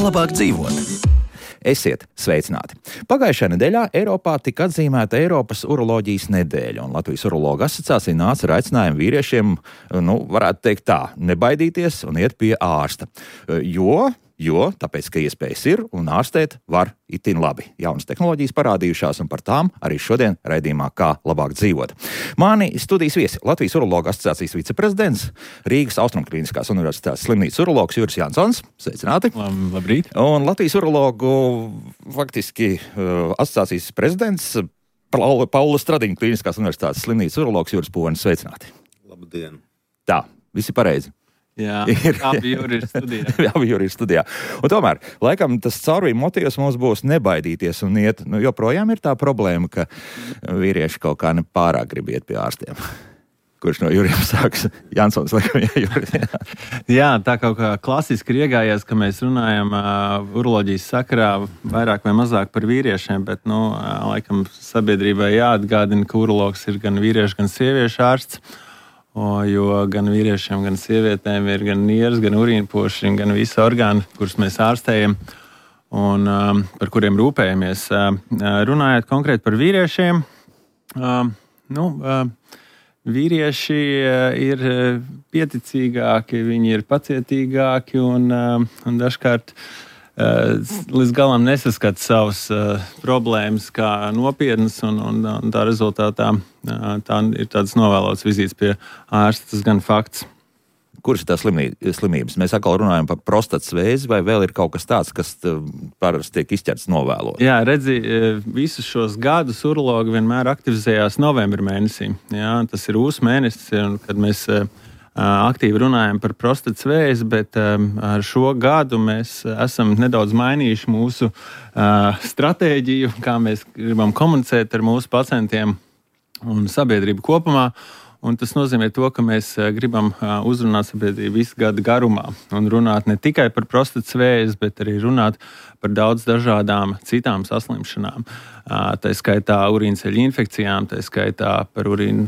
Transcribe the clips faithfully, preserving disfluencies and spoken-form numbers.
Labāk dzīvot. Esiet sveicināti! Pagājušajā nedēļā Eiropā tika atzīmēta Eiropas uroloģijas nedēļa, un Latvijas urologu asociācija nāca ar aicinājumu vīriešiem, nu, varētu teikt tā, nebaidīties un iet pie ārsta. Jo, jo, tāpēc, ka iespējas ir un ārstēt var itin labi. Jaunas tehnoloģijas parādījušās, un par tām arī šodien raidījumā Kā labāk dzīvot. Mani studijas viesi Latvijas urologu asociācijas viceprezidents, Rīgas Austrumklīniskās universitātes slimnīcas urologs Juris Jansons. Sveicināti! Labrīt! Un Latvijas urologu faktiski uh, asociācijas prezidents Paula, Paula Stradiņa Klīniskās universitātes slimnīcas urologs Juris Povenis. Sveicināti! Labdien! Tā, visi pareizi. Jā, abi jūri ir studijā. abi jūri ir studijā. Un tomēr, laikam, tas caurvīm motīvs mums būs nebaidīties un iet. Nu, joprojām ir tā problēma, ka vīrieši kaut kā nepārāk grib iet pie ārstiem. Kurš no jūriem sāks? Jansons, laikam, jā, jūri. Jā, tā kaut kā klasiski ir iegājies, ka mēs runājam uh, uroloģijas sakarā vairāk vai mazāk par vīriešiem, bet, nu, uh, laikam, sabiedrībai jāatgādina, ka urologs ir gan vīriešu, gan sieviešu ārsts. O, jo gan vīriešiem, gan sievietēm ir gan nieres, gan urīnpoši, gan visi orgāni, kurus mēs ārstējam un um, par kuriem rūpējamies. Uh, runājot konkrēti par vīriešiem, uh, nu, uh, vīrieši uh, ir pieticīgāki, viņi ir pacietīgāki un, uh, un dažkārt uh, līdz galam nesaskata savas uh, problēmas kā nopietnas, un, un, un tā rezultātā uh, tā ir tāds novēlots vizītes pie ārsta, tas gan fakts. Kuras ir tās slimības? Mēs atkal runājam par prostatas vēzi, vai vēl ir kaut kas tāds, kas parasti tiek izķerts novēlot? Jā, redzi, visus šos gadus urologi vienmēr aktivizējās novembra mēnesī. Jā, tas ir ūs mēnesis, kad mēs aktīvi runājam par prostatas vēzi, bet ar šo gadu mēs esam nedaudz mainījuši mūsu stratēģiju, kā mēs gribam komunicēt ar mūsu pacientiem un sabiedrību kopumā. Un tas nozīmē to, ka mēs gribam uzrunāt sabiedrību visu gadu garumā un runāt ne tikai par prostatas vēzi, bet arī runāt par daudz dažādām citām saslimšanām. Tā skaitā urīnceļu infekcijām, tā skaitā par urīnu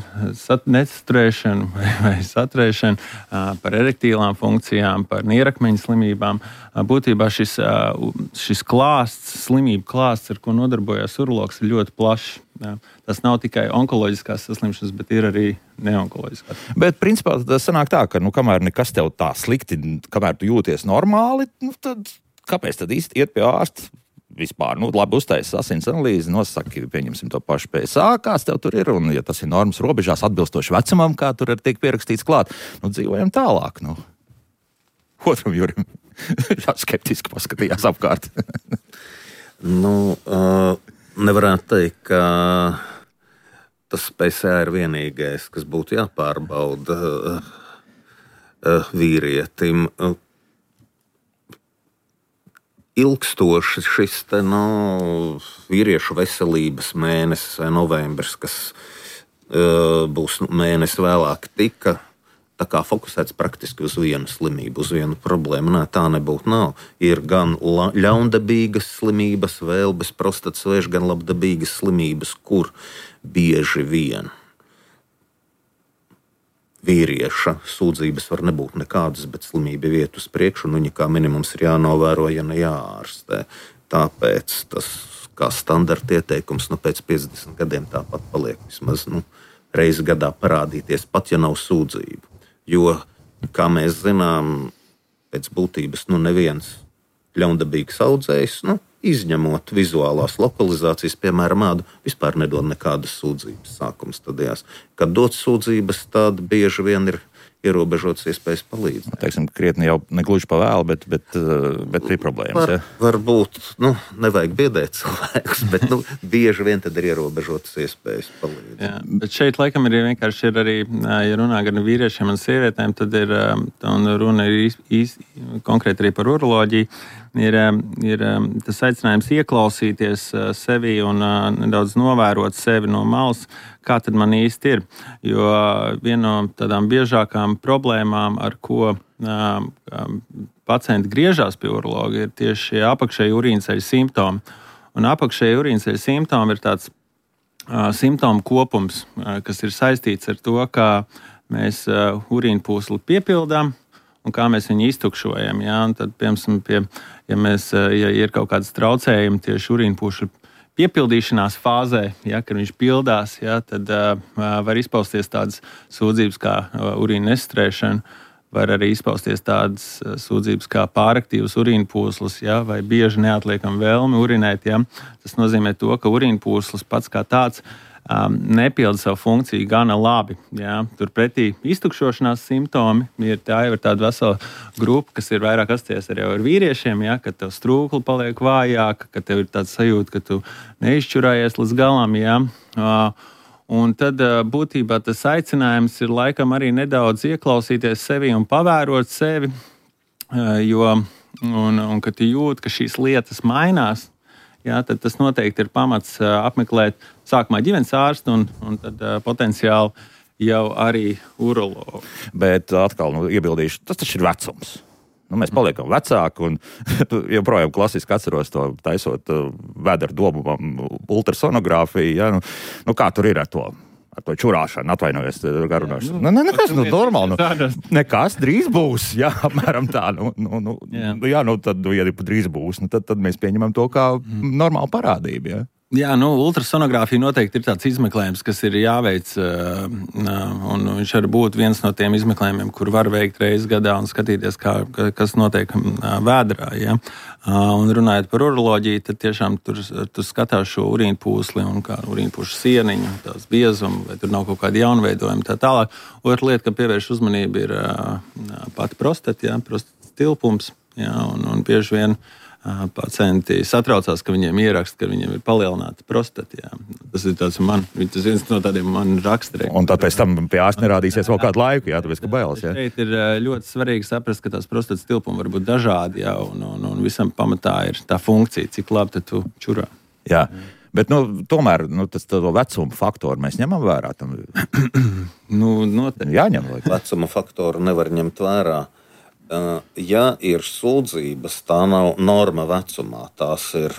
nesaturēšanu vai, vai saturēšanu, par erektīlām funkcijām, par nierakmeņa slimībām. Būtībā šis, šis klāsts, slimību klāsts, ar ko nodarbojas urologs, ir ļoti plašs. Tas nav tikai onkoloģiskās saslimšanas, bet ir arī neonkoloģiskās. Bet principā tas sanāk tā, ka nu, kamēr nekas tev tā slikti, kamēr tu jūties normāli, nu, tad kāpēc tad īsti iet pie ārsta? Vispār, nu, labi uztaisas asins analīzi, nosaki, pieņemsim to pašu P S A, kāds tev tur ir, un ja tas ir normas robežās atbilstoši vecumam, kā tur ir tiek pierakstīts klāt, nu, dzīvojam tālāk, nu. Otram Jurim skeptiski paskatījās apkārt. nu, uh, nevarētu teikt, ka tas P S A ir vienīgais, kas būtu jāpārbauda uh, uh, vīrietim. Uh, Ilgstoši šis te, nu, vīriešu veselības mēnesis vai novembris, kas uh, būs mēnesi vēlāk, tika tā kā fokusēts praktiski uz vienu slimību, uz vienu problēmu. Nē, tā nebūtu nav. Ir gan la, ļaundabīgas slimības, vēl bez prostatas vēža, gan labdabīgas slimības, kur bieži vien vīrieša sūdzības var nebūt nekādas, bet slimība iet uz priekšu, un viņa kā minimums ir jānovēro, ja ne jāārstē. Tāpēc tas kā standarta ieteikums, nu pēc piecdesmit gadiem tāpat paliek vismaz nu, reizi gadā parādīties, pat ja nav sūdzību. Jo, kā mēs zinām, pēc būtības nu neviens ļaundabīgs audzējs, nu, izņemot vizuālās lokalizācijas, piemēram, ādu, vispār nedod nekādas sūdzības sākuma stadijās. Kad dod sūdzības, tad bieži vien ir ierobežotas iespējas palīdzēt. Teiksim, krietni jau negluži pa vēlu, bet, bet, bet ir problēmas. Var, ja? Varbūt, nu, nevajag biedēt cilvēkus, bet nu, bieži vien tad ir ierobežotas iespējas palīdzēt. Jā, bet šeit laikam ir vienkārši ir arī, ja runā gan vīriešiem un sievietēm, tad ir, un runa ir īs, īs, konkrēti arī par uroloģiju, ir, ir tas aicinājums ieklausīties sevi un nedaudz novērot sevi no malas, kā tad man īsti ir. Jo viena no tādām biežākām problēmām, ar ko pacienti griežās pie urologa, ir tieši apakšēji urīnceļa simptomi. Un apakšēji urīnceļa simptomi ir tāds uh, simptomu kopums, uh, kas ir saistīts ar to, kā mēs uh, urīna pūsli piepildām un kā mēs viņu iztukšojam. Ja? Un tad, piemēram, pie, ja, mēs, uh, ja ir kaut kādas traucējumi tieši urīna pūšļu piepildīšanās fāzē, ja, kad viņš pildās, ja, tad uh, var izpausties tādas sūdzības kā uh, urīna nestrēšana. Var arī izpausties tādas sūdzības kā pāraktīvas urīna pūslis, ja, vai bieži neatliekama vēlme urinēt. Ja. Tas nozīmē to, ka urīna pūslis pats kā tāds um, nepilda savu funkciju gana labi. Ja. Turpretī iztukšošanās simptomi ir, tā jau ir tāda vesela grupa, kas ir vairāk asociēta arī ar vīriešiem, ja, kad tev strūkli paliek vājāka, ka tev ir tāds sajūta, ka tu neizšķurājies līdz galam. Ja. Uh, Un tad būtībā tas aicinājums ir laikam arī nedaudz ieklausīties sevi un pavērot sevi, jo, un, un kad tu jūti, ka šīs lietas mainās, jā, tad tas noteikti ir pamats apmeklēt sākumā ģimenes ārstu un, un tad potenciāli jau arī urologu. Bet atkal nu, iebildīšu, tas taču ir vecums. Nu, mēs paliekam vecāki, un joprojām klasiski atceros to taisot uh, vēdera dobumam ultrasonogrāfiju. Ja? Nu, nu, kā tur ir ar to? Ar to čurāšanu, atvainojos, garunāšanu. Nu, ne, nekas, nu, normāli. Nu, nekas drīz būs, jā, apmēram tā. Nu, nu, nu, jā. jā, nu, tad, ja drīz būs, nu, tad, tad mēs pieņemam to kā mm. normālu parādību, jā. Jā, nu, ultrasonogrāfija noteikti ir tāds izmeklējums, kas ir jāveic, un viņš var būt viens no tiem izmeklējumiem, kur var veikt reizes gadā un skatīties, kā, kas notiek vēderā. Ja? Un runājot par uroloģiju, tad tiešām tur, tur skatās šo urīna pūsli un kā urīna pūšu sieniņu, tās biezumu, vai tur nav kaut kādi jaunveidojumi tā tālāk. Otra lieta, kam pievērš uzmanību, ir pati prostata, ja? Prostatas tilpums, ja? un, un bieži vien pacienti satraucās, ka viņiem ieraksta, ka viņiem ir palielināta prostata. Jā. Tas ir tāds man, tas viens no tādiem man raksturiem. Un tad pēc tam pie ārsta nerādīsies vēl kādu laiku, jā, tāpēc, ka bailes, jā. Šeit ir ļoti svarīgi saprast, ka tās prostatas tilpumi var būt dažādi, jā, un, un, un visam pamatā ir tā funkcija, cik labi tad tu čurā. Jā. Bet, nu, tomēr, nu, tas to vecumu faktoru mēs ņemam vērā. Tam... nu, noteikti. Jāņem, vai? Vecuma faktoru nevar ņemt vērā. Ja ir sūdzības, tā nav norma vecumā, tās ir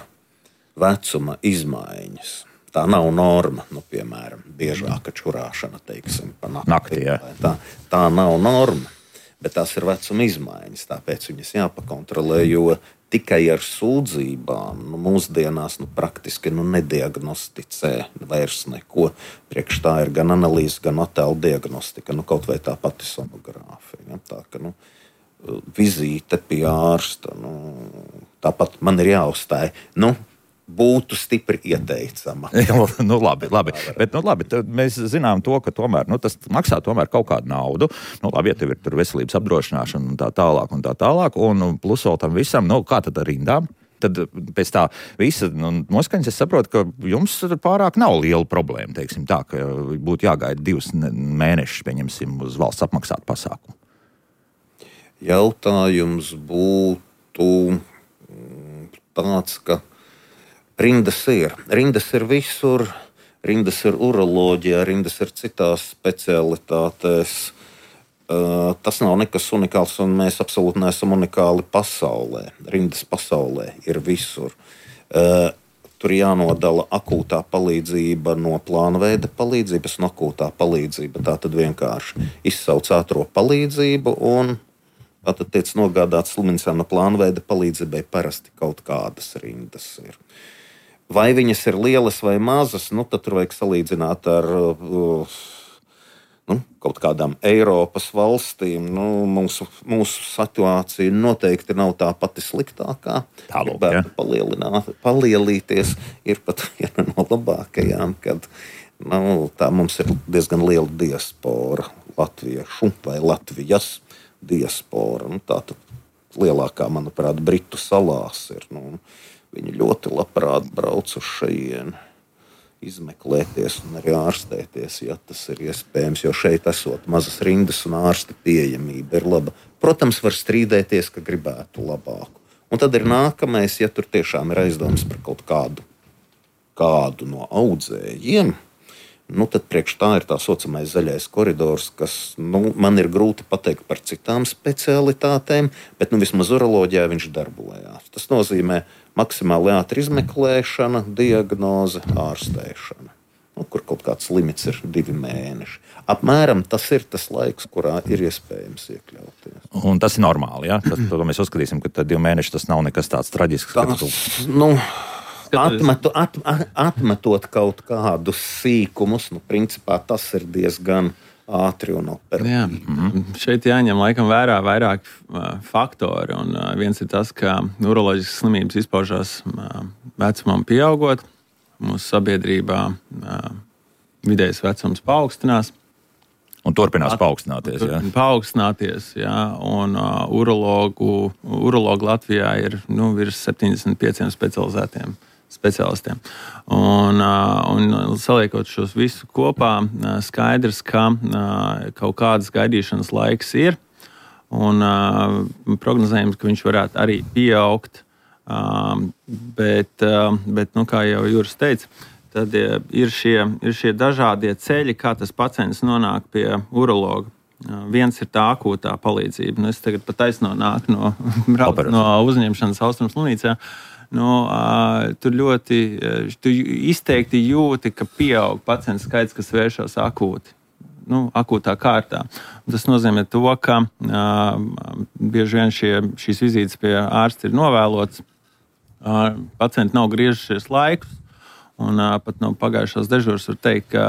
vecuma izmaiņas. Tā nav norma, nu, piemēram, biežāka čurāšana, teiksim, pa nakti. Nakti, jā. Tā, tā nav norma, bet tās ir vecuma izmaiņas, tāpēc viņas jāpakontrolē, jo tikai ar sūdzībām nu, mūsdienās nu, praktiski nu, nediagnosticē vairs neko. Priekš tā ir gan analīze, gan attēlu diagnostika, nu, kaut vai tā pati sonogrāfija. Ja? Tā, ka, nu, vizīte pie ārsta, nu, tāpat man ir jāuzstāj, nu, būtu stipri ieteicama. nu, labi, labi. Bet, nu, labi, mēs zinām to, ka tomēr, nu, tas maksā tomēr kaut kādu naudu. Nu, labi, ja tev ir tur veselības apdrošināšana un tā tālāk un tā tālāk, un plus vēl tam visam, nu, kā tad ar rindām? Tad pēc tā visa nu, noskaņas es saprotu, ka jums pārāk nav liela problēma, teiksim tā, ka būtu jāgaida divus mēnešus, pieņemsim, uz valsts apmaksātu pasākumu. Jautājums būtu tāds, ka rindas ir. Rindas ir visur, rindas ir uroloģijā, rindas ir citās specialitātēs. Tas nav nekas unikāls, un mēs absolūti neesam unikāli pasaulē. Rindas pasaulē ir visur. Tur jānodala akūtā palīdzība no plānveida palīdzības un akūtā palīdzība. Tā tad vienkārši izsauc ātro palīdzību un tātad tiek nogādāts slimnīcā no plānveida palīdzībai parasti kaut kādas rindas ir. Vai viņas ir lielas vai mazas, nu tad tur vajag salīdzināt ar uh, nu, kaut kādām Eiropas valstīm. Nu, mūsu, mūsu situācija noteikti nav tā pati sliktākā. Tālūk, ja. Palielināt, palielīties ir pat viena no labākajām, kad nu, tā mums ir diezgan liela diaspora latviešu vai Latvijas diaspora. Nu, tā tad lielākā, manuprāt, Britu salās ir. Nu, viņi ļoti labprāt brauc uz šejienu, izmeklēties un arī ārstēties, ja tas ir iespējams, jo šeit esot mazas rindas un ārsta pieejamība ir laba. Protams, var strīdēties, ka gribētu labāku. Un tad ir nākamais, ja tur tiešām ir aizdomas par kaut kādu, kādu no audzējiem, nu, tad priekš tā ir tā saucamais zaļais koridors, kas nu, man ir grūti pateikt par citām specialitātēm, bet nu, vismaz uroloģijā viņš darbojās. Tas nozīmē maksimāli ātri izmeklēšana, diagnoze, ārstēšana, nu, kur kaut kāds limits ir divi mēneši. Apmēram tas ir tas laiks, kurā ir iespējams iekļauties. Un tas ir normāli, ja? Tas, to mēs uzskatīsim, ka divi mēneši tas nav nekas tāds traģisks. Tas, tu... nu, Atmetu, at, atmetot kaut kādus sīkumus, nu, principā tas ir diezgan ātri un operatīvi. Mm-hmm. Šeit jāņem laikam vērā vairāk uh, faktori. Un, uh, viens ir tas, ka uroloģiskas slimības izpaužās uh, vecumam pieaugot. Mūsu sabiedrībā uh, vidējais vecums paaugstinās. Un turpinās paaugstināties. Jā. Paaugstināties, jā. Un uh, urologu, urologu Latvijā ir nu, virs septiņdesmit pieciem specializētiem speciālistiem. Un, un saliekot šos visus kopā, skaidrs, ka kaut kādas gaidīšanas laiks ir, un prognozējums, ka viņš varētu arī pieaugt, bet, bet nu, kā jau Juris teica, tad ir šie, ir šie dažādie ceļi, kā tas pacients nonāk pie urologa. Viens ir tā akūtā palīdzība. Nu, es tagad pat taisno nāku no, no uzņemšanas Austrumu slimnīcā. Nu, uh, tur ļoti uh, tu izteikti jūti, ka pieaug pacientu skaits, kas vēršas akūti, nu, akūtā kārtā. Un tas nozīmē to, ka uh, bieži vien šie, šīs vizītes pie ārsta ir novēlotas, uh, pacienti nav griežušies laikus, un uh, pat no pagājušās dežūras var teikt, ka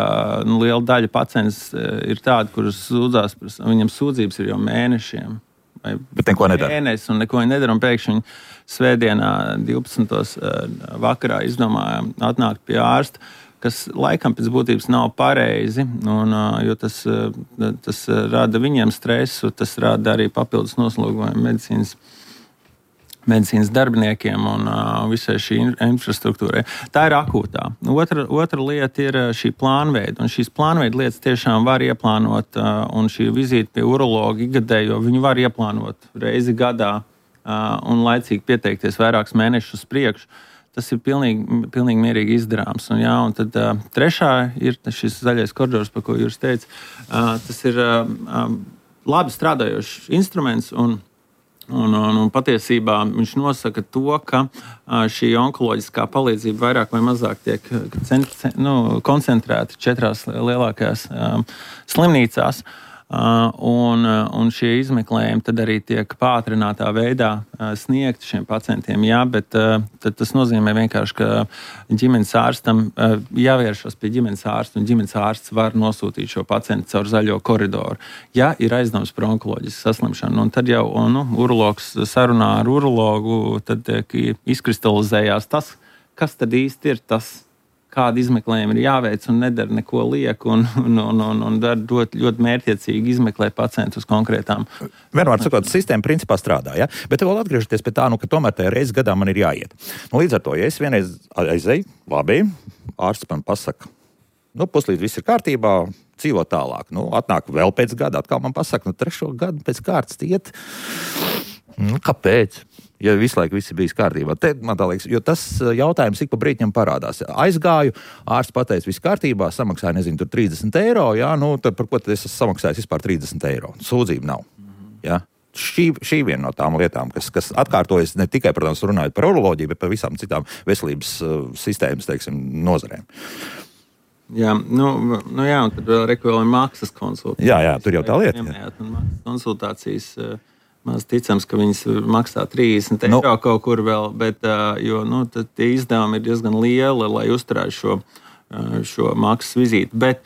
nu, liela daļa pacients uh, ir tādi, kurus sūdzās, viņam sūdzības ir jau mēnešiem. Bet neko nedara. Mēnesis un neko nedara, un pēkšņi svētdienā divpadsmitajā vakarā izdomājām atnākt pie ārsta, kas laikam pēc būtības nav pareizi, un, jo tas, tas rada viņiem stresu, tas rada arī papildus noslogojumu medicīnas, medicīnas darbiniekiem un uh, visai šī infrastruktūrai. Tā ir akūtā. Otra, otra lieta ir šī plānveida, un šīs plānveida lietas tiešām var ieplānot, uh, un šī vizīte pie urologa ikgadējo viņu var ieplānot reizi gadā uh, un laicīgi pieteikties vairākus mēnešus uz priekšu. Tas ir pilnīgi, pilnīgi mierīgi izdarāms. Un, jā, un tad uh, trešā ir šis zaļais koridors, par ko Juris teica. Uh, tas ir uh, uh, labi strādājošs instruments, un Un, un, un patiesībā viņš nosaka to, ka šī onkoloģiskā palīdzība vairāk vai mazāk tiek nu, koncentrēta četrās lielākajās um, slimnīcās. Uh, un, un šie izmeklējumi tad arī tiek pātrinātā veidā uh, sniegti šiem pacientiem. Jā, bet uh, tas nozīmē vienkārši, ka ģimenes ārstam uh, jāvēršas pie ģimenes ārsta, un ģimenes ārsts var nosūtīt šo pacientu caur zaļo koridoru. Ja ir aizdoms par onkoloģisku saslimšanu, un tad jau nu, urologs sarunā ar urologu, tad tiek izkristalizējās tas, kas tad īsti ir tas, kāda izmeklējuma ir jāveic, un nedara neko lieku, un, un, un, un, un dara ļoti, ļoti mērķiecīgi izmeklē pacientu uz konkrētām. Vienmēr sakot, sistēma principā strādā, ja? Bet vēl atgriežoties pie tā, nu, ka tomēr tajā reizes gadā man ir jāiet. Nu, līdz ar to, ja es vienreiz aizēju, labi, ārsts man pasaka, nu, puslīdz viss ir kārtībā, dzīvo tālāk. Nu, atnāk vēl pēc gada, atkal man pasaka, nu, trešo gadu pēc kārtas iet. Nu, kāpēc? Ja visu laiku viss ir bijis kārtībā. Te, man tā liekas, jo tas jautājums ik pa brītņam parādās. Aizgāju, ārsts pateica, viss kārtībā, samaksāja, nezinu, tur trīsdesmit eiro, jā, nu, tad par ko tad es esmu samaksājis vispār trīsdesmit eiro? Sūdzība nav. Jā. Šī, šī viena no tām lietām, kas, kas atkārtojas ne tikai, protams, runājot par uroloģiju, bet par visām citām veselības uh, sistēmas, teiksim, nozarēm. Jā, nu, nu jā, un tad vēl reku vēl ir maksas konsultācijas. Jā, jā, tur jau tā lieta. Jā, un maksas konsultācijas... Uh, Maz ticams, ka viņas maksā trīsdesmit eiro nu. Kaut kur vēl, bet jo, nu, tie izdevumi ir diezgan lieli, lai uzturētu šo, šo maksas vizīti. Bet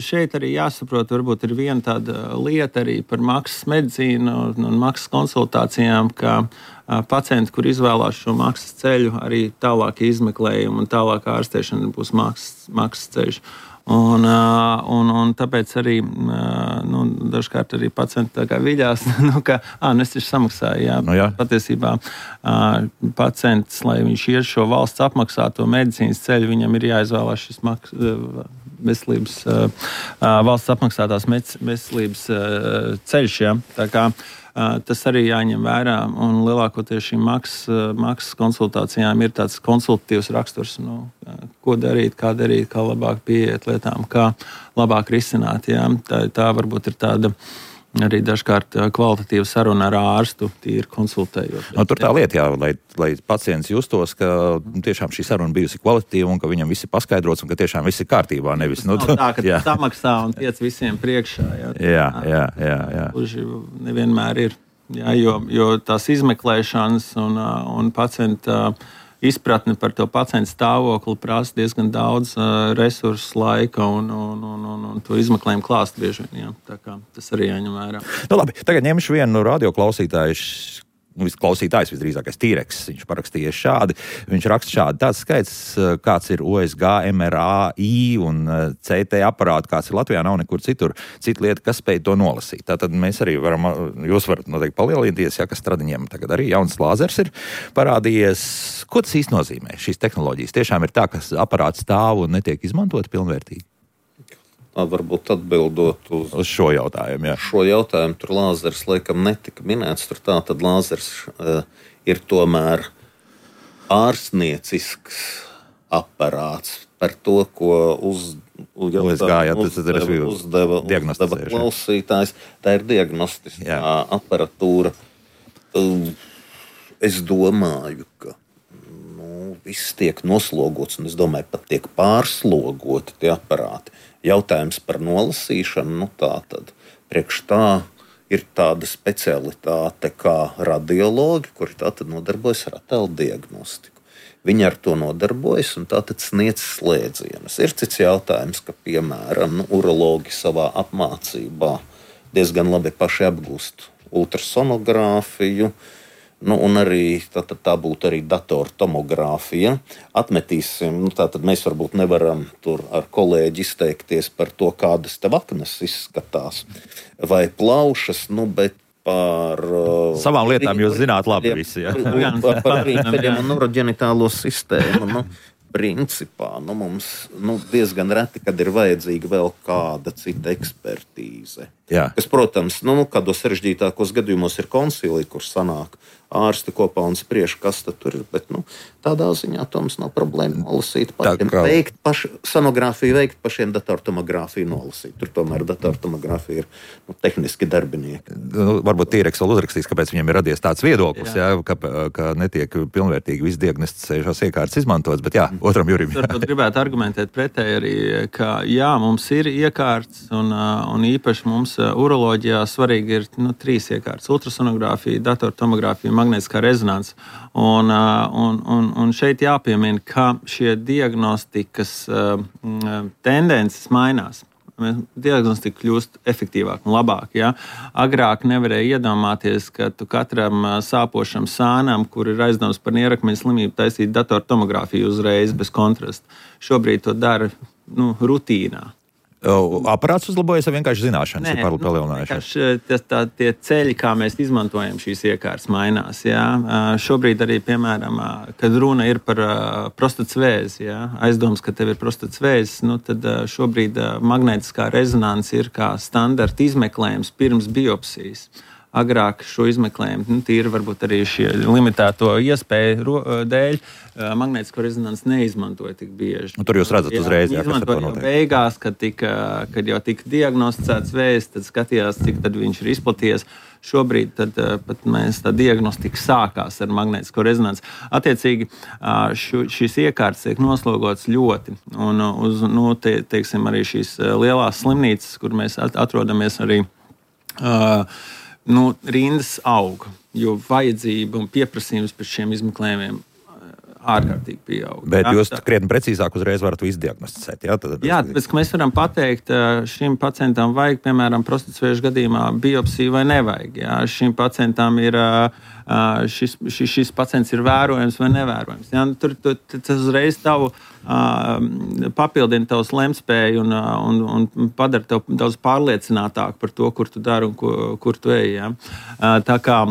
šeit arī jāsaprot, varbūt ir viena tāda lieta arī par maksas medicīnu un maksas konsultācijām, ka pacienti, kur izvēlās šo maksas ceļu, arī tālākie izmeklējumi un tālākā ārstēšana būs maksas, maksas ceļš. Un, un, un tāpēc arī nu, dažkārt arī pacienti tā kā viļās, nu, ka ā, nu es taču samaksāju. Jā. Nu, jā. Patiesībā pacients, lai viņš iet šo valsts apmaksāto medicīnas ceļu, viņam ir jāizvēlās šis maks, veselības, valsts apmaksātās veselības ceļš. Ja? Tā kā tas arī jāņem vērā, un lielākoties šīm maksas, maksas konsultācijām ir tāds konsultatīvs raksturs, nu, ko darīt, kā darīt, kā labāk pieiet lietām, kā labāk risināt. Ja? Tā, tā varbūt ir tāda arī dažkārt kvalitatīva saruna ar ārstu, tīri konsultējot. No, tur tā lieta, jā, lai, lai pacients justos, ka tiešām šī saruna bijusi kvalitatīva un ka viņam viss ir paskaidrots un ka tiešām viss ir kārtībā. Nevis, nu, tā, ka tu samaksā un tiec visiem priekšā. Jā, jā, jā. jā, jā. Kurži nevienmēr ir. Jā, jo, jo tās izmeklēšanas un, un pacienta izpratne par to pacienta stāvokli prasa diezgan daudz uh, resursu, laika un, un, un, un, un to izmeklējumu klāstu bieži vien. Jā. Tā kā tas arī jāņem vērā. Nu, labi, tagad ņemšu vienu radioklausītāju. Klausītājs visdrīzākais Tīreks, viņš parakstīja šādi. Viņš raksta šādi. Tāds skaits, kāds ir O S G, M R A I un C T aparāti, kāds ir Latvijā, nav nekur citur. Cita lieta, kas spēj to nolasīt. Tātad mēs arī varam, jūs varat noteikti palielināties, ja, ka Stradiņiem tagad arī jauns lāzers ir parādījies. Ko tas īsti nozīmē? Šīs tehnoloģijas tiešām ir tā, ka aparāts stāv un netiek izmantot pilnvērtīgi? Varbūt atbildot uz, uz šo jautājumu. Jā. Šo jautājumu tur lāzers laikam netika minēts. Tur tā tad lāzers uh, ir tomēr ārstniecisks aparāts par to, ko uz, uz, O S G, jā, tas uzdeva, uzdeva, uzdeva klausītājs. Tā ir diagnostiskā aparatūra. Uh, es domāju, ka nu, viss tiek noslogots, un es domāju, pat tiek pārslogoti tie aparāti. Jautājums par nolasīšanu, nu tā tad priekš tā ir tāda specialitāte kā radiologi, kuri tātad nodarbojas ar attēlu diagnostiku. Viņi ar to nodarbojas un tātad sniedz slēdzienus. Ir cits jautājums, ka, piemēram, nu, urologi savā apmācībā diezgan labi paši apgūst ultrasonogrāfiju, nu, un arī tā, tā, tā būtu arī datortomogrāfija. Atmetīsim, nu, tā tad mēs varbūt nevaram tur ar kolēģi izteikties par to, kādas tev aknas izskatās vai plaušas, nu, bet par savām lietām jūs zināt labi visi, ja? Par, par rīnceļiem un urogenitālo sistēmu, nu, principā, nu, mums nu, diezgan reti, kad ir vajadzīga vēl kāda cita ekspertīze. Jā. Kas, protams, nu, kādos sarežģītākos gadījumos ir konsili, kur sanāk ārsti kopā un spriež, kas tad tur ir, bet nu, tādā ziņā to mums nav problēma nolasīt pašiem. Kā... Veikt paši, sonogrāfiju veikt pašiem, datortomogrāfiju nolasīt. Tur tomēr datortomogrāfija ir nu, tehniski darbinieki. Nu, varbūt Tīreks vēl uzrakstīs, kāpēc viņiem ir radies tāds viedoklis, jā. Jā, ka, ka netiek pilnvērtīgi viss diagnosticējušās iekārtas izmantotas, bet jā, otram Jurim. Varbūt gribētu argumentēt pretēji arī, ka jā, mums ir iekārtas un, un īpaši mums uroloģijā svarīgi ir nu, trīs iekārtas - ultrasonogrāfija, datortomogrāfija, magnētiskā rezonanse. Un, un, un, un šeit jāpiemina, ka šie diagnostikas uh, tendences mainās. Diagnostika kļūst efektīvāk un labāk. Ja? Agrāk nevarēja iedomāties, ka tu katram sāpošam sānam, kur ir aizdoms par nierakmeņa slimību, taisīt datortomogrāfiju uzreiz bez kontrasta. Šobrīd to dara nu, rutīnā. Aparāts uzlabojas, vai vienkārši zināšanas Nē, ir palielinājušās? Nu, tā, tie ceļi, kā mēs izmantojam šīs iekārtas, mainās. Jā. Šobrīd arī, piemēram, kad runa ir par prostatas vēzi, jā, aizdoms, ka tev ir prostatas vēzis, nu, tad šobrīd magnētiskā rezonanse ir kā standarta izmeklējums pirms biopsijas. Agrāk šo izmeklējumu, nu, tīri varbūt arī šie limitēto iespēju dēļ, magnētisko rezonanci neizmantoja tik bieži. Un tur jūs redzat uzreiz, jā, kas ar to notiek. Beigās, kad, tika, kad jau tika diagnosticēts vēzis, tad skatījās, cik tad viņš ir izplatījies. Šobrīd tad, pat mēs tā diagnostika sākās ar magnētisko rezonanci. Attiecīgi, šu, šīs iekārtas tiek noslogotas ļoti. Un uz, nu, te, teiksim, arī šīs lielās slimnīcas, kur mēs atrodamies arī, uh, nu, rindas aug, jo vajadzība un pieprasījums pēc šiem izmeklējumiem ārkārtīgi pieaug. Bet jā, jūs krietni precīzāk uzreiz varat to izdiagnosticēt. Jā, tad... jā, tāpēc, ka mēs varam pateikt, šim pacientam vajag, piemēram, prostatas vēža gadījumā biopsiju vai nevajag. Jā, šim pacientam ir, šis, šis, šis pacients ir vērojams vai nevērojams. Jā, tur, tur, tas uzreiz tavu papildina tavs lemtspēju un, un, un padara tev daudz pārliecinātāk par to, kur tu dari un kur, kur tu ej. Jā. Tā kā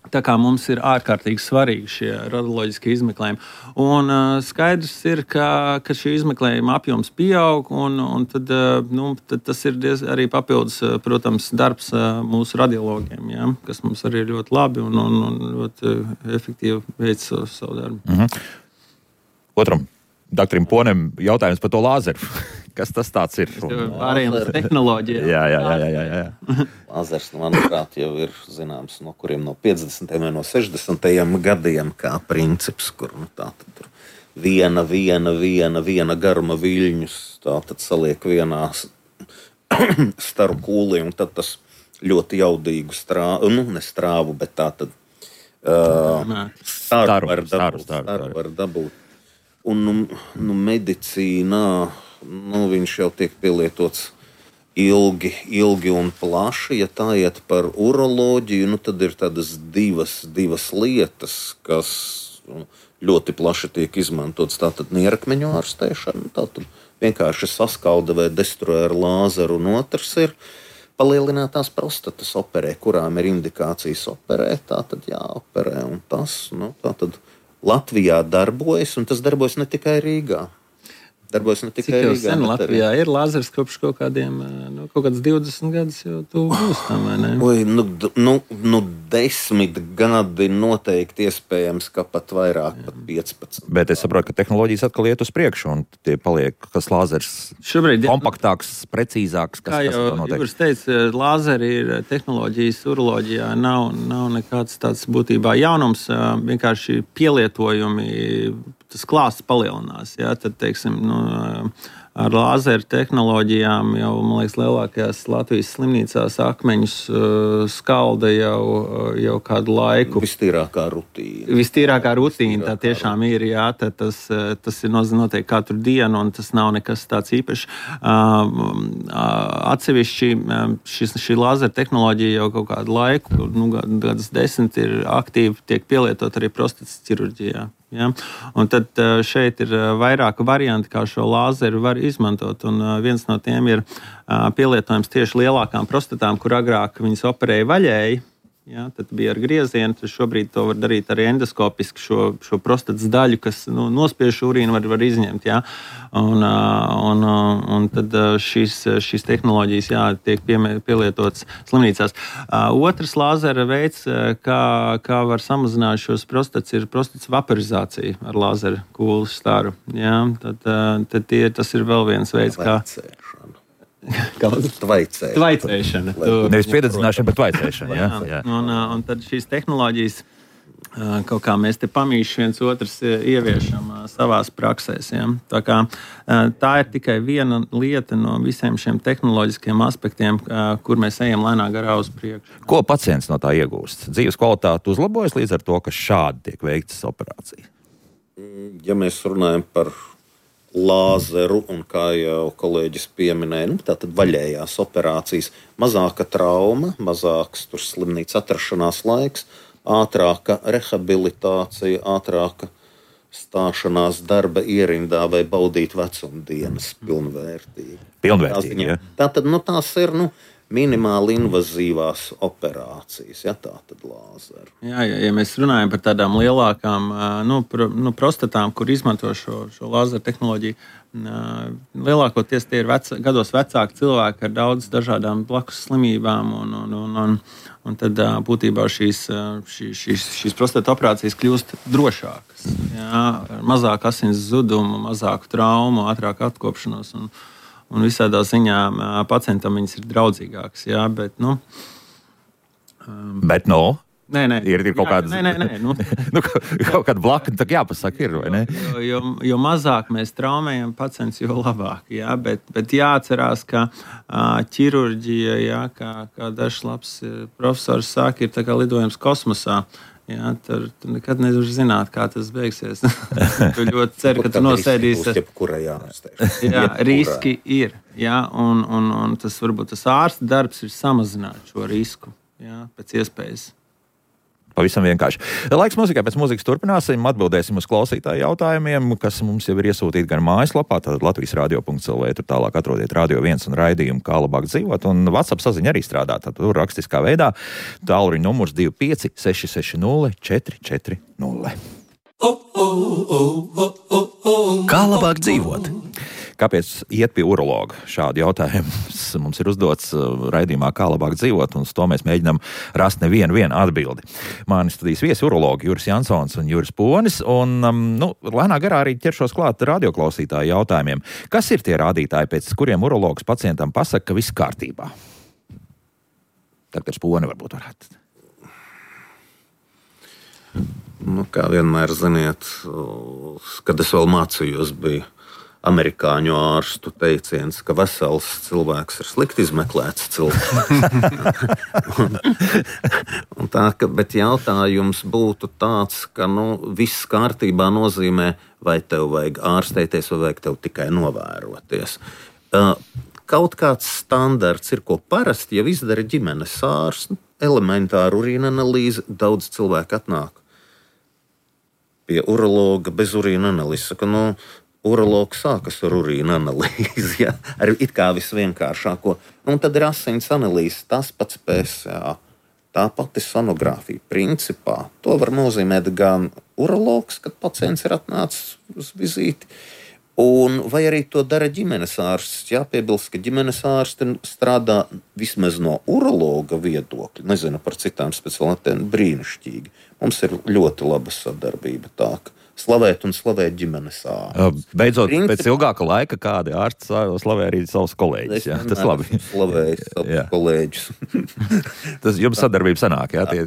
Tā kā mums ir ārkārtīgi svarīgi šie radioloģiskie izmeklējumi. Un uh, skaidrs ir, ka, ka šī izmeklējuma apjoms pieaug, un, un tad, uh, nu, tad tas ir diez, arī papildus, uh, protams, darbs uh, mūsu radiologiem, ja, kas mums arī ir ļoti labi un, un, un ļoti uh, efektīvi veic savu, savu darbu. Mhm. Otram doktoram Ponem jautājums par to lāzeru. Kas tas tāds ir? Pārējiem uz tehnoloģijām. Jā, jā, jā, jā, jā. Lāzers, manuprāt, jau ir zināms, no kuriem no piecdesmitajiem vai no sešdesmitajiem gadiem, kā princips, kur nu, tā tad viena, viena, viena, viena garuma viļņus, tā tad saliek vienā staru kūlī, un tad tas ļoti jaudīgu strāvu, nu, ne strāvu, bet tā tad uh, staru var dabūt. Staru var dabūt. Un nu, nu, medicīnā nu, viņš jau tiek pielietots ilgi, ilgi un plaši. Ja tā iet par uroloģiju, nu, tad ir tādas divas, divas lietas, kas nu, ļoti plaši tiek izmantotas. Tātad nierakmeņu ārstēšana, tātad vienkārši saskalda vai destruē ar lāzeru, un otrs ir palielinātās prostatas operē, kurām ir indikācijas operēt, tātad jāoperē, un tas, nu, tātad Latvijā darbojas, un tas darbojas ne tikai Rīgā. Darbojas ne tikai Rīgā. Cik jau sen Latvijā ir lāzers kopš kaut kādiem, nu, kaut kāds divdesmit gadus jau tu būs tam, vai ne? Oi, nu, nu, nu, desmit gadi noteikti iespējams, ka pat vairāk, jā. Pat piecpadsmit. Bet es saprotu, ka tehnoloģijas atkal iet uz priekšu, un tie paliek, kas lāzers šobrīd, kompaktāks, precīzāks. Kas, kā jau Ivars teica, lāzeri ir tehnoloģijas, uroloģijā nav, nav nekāds tāds būtībā jaunums, vienkārši pielietojumi, tas klāsts palielinās. Ja? Tad, teiksim, nu, ar lāzeru tehnoloģijām jau, man liekas, lielākajās Latvijas slimnīcās akmeņus uh, skalda jau, jau kādu laiku. Vistīrākā rutīna. Vistīrākā rutīna, tā tiešām ir, jā, tas, tas ir noteikti katru dienu, un tas nav nekas tāds īpašs. Uh, atsevišķi šis, šī lāzera tehnoloģija jau kaut kādu laiku, nu, gadus desmit ir aktīvi, tiek pielietot arī prostatas ķirurģijā. Ja? Un tad šeit ir vairāki varianti, kā šo lāzeru var izmantot. Un viens no tiem ir pielietojums tieši lielākām prostatām, kur agrāk viņas operēja vaļēji. Ja, tad bija ar griezienu, tad šobrīd to var darīt arī endoskopiski, šo, šo prostatas daļu, kas nu, nospiež urīnu, var, var izņemt. Ja. Un, un, un tad šīs, šīs tehnoloģijas jā, tiek pielietotas slimnīcās. Otrs lāzera veids, kā, kā var samazināt šos prostatas, ir prostatas vaporizācija ar lāzera kūles staru. Ja. Tad, tad tie, tas ir vēl viens veids, kā... Tvaicēšana. Tvaicēšana. Nevis piededzināšana, bet tvaicēšana. Jā, jā. Un, un tad šīs tehnoloģijas, kaut kā mēs te pamīši viens otrs ieviešam savās praksēs. Ja? Tā, kā, tā ir tikai viena lieta no visiem šiem tehnoloģiskiem aspektiem, kur mēs ejam lēnā garā uz priekšu. Ko pacients no tā iegūst? Dzīves kvalitāte uzlabojas līdz ar to, ka šādi tiek veiktas operācijas? Ja mēs runājam par lāzeru, un kā jau kolēģis pieminēja, nu, tātad vaļējās operācijas, mazāka trauma, mazāks tur slimnīcas atrašanās laiks, ātrāka rehabilitācija, ātrāka stāšanās darba ierindā vai baudīt vecumdienas pilnvērtīgi. Pilnvērtīgi, jā. Tātad, nu, tās ir, nu, minimāli invazīvās operācijas, ja tā tad lāzeru. Jā, ja, ja mēs runājam par tādām lielākām nu, pro, nu, prostatām, kur izmanto šo, šo lāzeru tehnoloģiju, lielākoties tie ir vec, gados vecāki cilvēki ar daudz dažādām blakus slimībām, un, un, un, un, un tad būtībā šīs, šīs, šīs, šīs prostata operācijas kļūst drošākas. Jā, mazāk asins zudumu, mazāku traumu, ātrāku atkopšanos. Un, Un visādā ziņā pacientam viņas ir draudzīgākas. Jā, bet, nu, um, bet no? Nē, nē. Ir, ir kaut jā, kādas, nē, nē, nē, nu. nu, kaut kāda blakna, tā jāpasaka ir, vai ne? Jo, jo, jo mazāk mēs traumējam pacients, jo labāk. Jā, bet, bet jāatcerās, ka ķirurģija, jā, kā, kā dažs labs profesors saka, ir tā kā lidojums kosmosā. Jā, tur, tur nekad nevar zināt, kā tas beigsies. Tu ļoti ceru, ka tu nosēdīsi. Jā, riski ir. Jā, un, un, un tas varbūt tas ārsta darbs ir samazināt šo risku, jā, pēc iespējas. Pavisam vienkārši. Laiks mūzikai, pēc mūzikas turpināsim, atbildēsim uz klausītāju jautājumiem, kas mums jau ir iesūtīti gan mājaslapā, tad latvijas radio punkts el vē, tur tālāk atrodiet Radio viens un raidījumu Kā labāk dzīvot, un WhatsApp saziņa arī strādā, tad tur rakstiskā veidā, tālruņa numurs divi pieci seši seši nulle četri četri nulle. Kā labāk dzīvot? Kāpēc iet pie urologa? Šādu jautājumu mums ir uzdots raidījumā Kā labāk dzīvot, un uz to mēs mēģinām rast nevienu vienu atbildi. Mani studijas viesi urologi Juris Jansons un Juris Ponis, un nu, lēnā garā arī ķeršos klāt radioklausītāju jautājumiem. Kas ir tie rādītāji, pēc kuriem urologs pacientam pasaka, ka viss kārtībā? Doktors Poni varbūt varētu. Nu, kā vienmēr, ziniet, kad es vēl mācījos, bija amerikāņu ārstu teiciens, ka vesels cilvēks ir slikti izmeklēts cilvēks. un, un tā, ka, bet jautājums būtu tāds, ka nu, viss kārtībā nozīmē, vai tev vajag ārstēties, vai vajag tev tikai novēroties. Uh, kaut kāds standarts ir, ko parasti jau izdara ģimenes ārsts, elementāru urīna analīzi, daudz cilvēku atnāk pie urologa bez urīna analīzes. Saka, nu, urologs sākas ar urīna analīzi, ja? Ar it kā visvienkāršāko. Un tad ir asins analīze, tas pats P S A, tā pati sonogrāfija. Principā to var nozīmēt gan urologs, kad pacients ir atnācis uz vizīti, un vai arī to dara ģimenes ārsts. Jāpiebilst, ka ģimenes ārsti strādā vismaz no urologa viedokļa. Nezinu par citām specialitātēm, brīnišķīgi. Mums ir ļoti laba sadarbība tā, ka slavēt un slavēt ģimenes ārstu. Beidzot, Princip... pēc ilgāka laika kādi ārsti slavē arī savus kolēģus. Jā, tas labi. Slavēju savus kolēģus. Tas jums sadarbība sanāk, jā? Tie...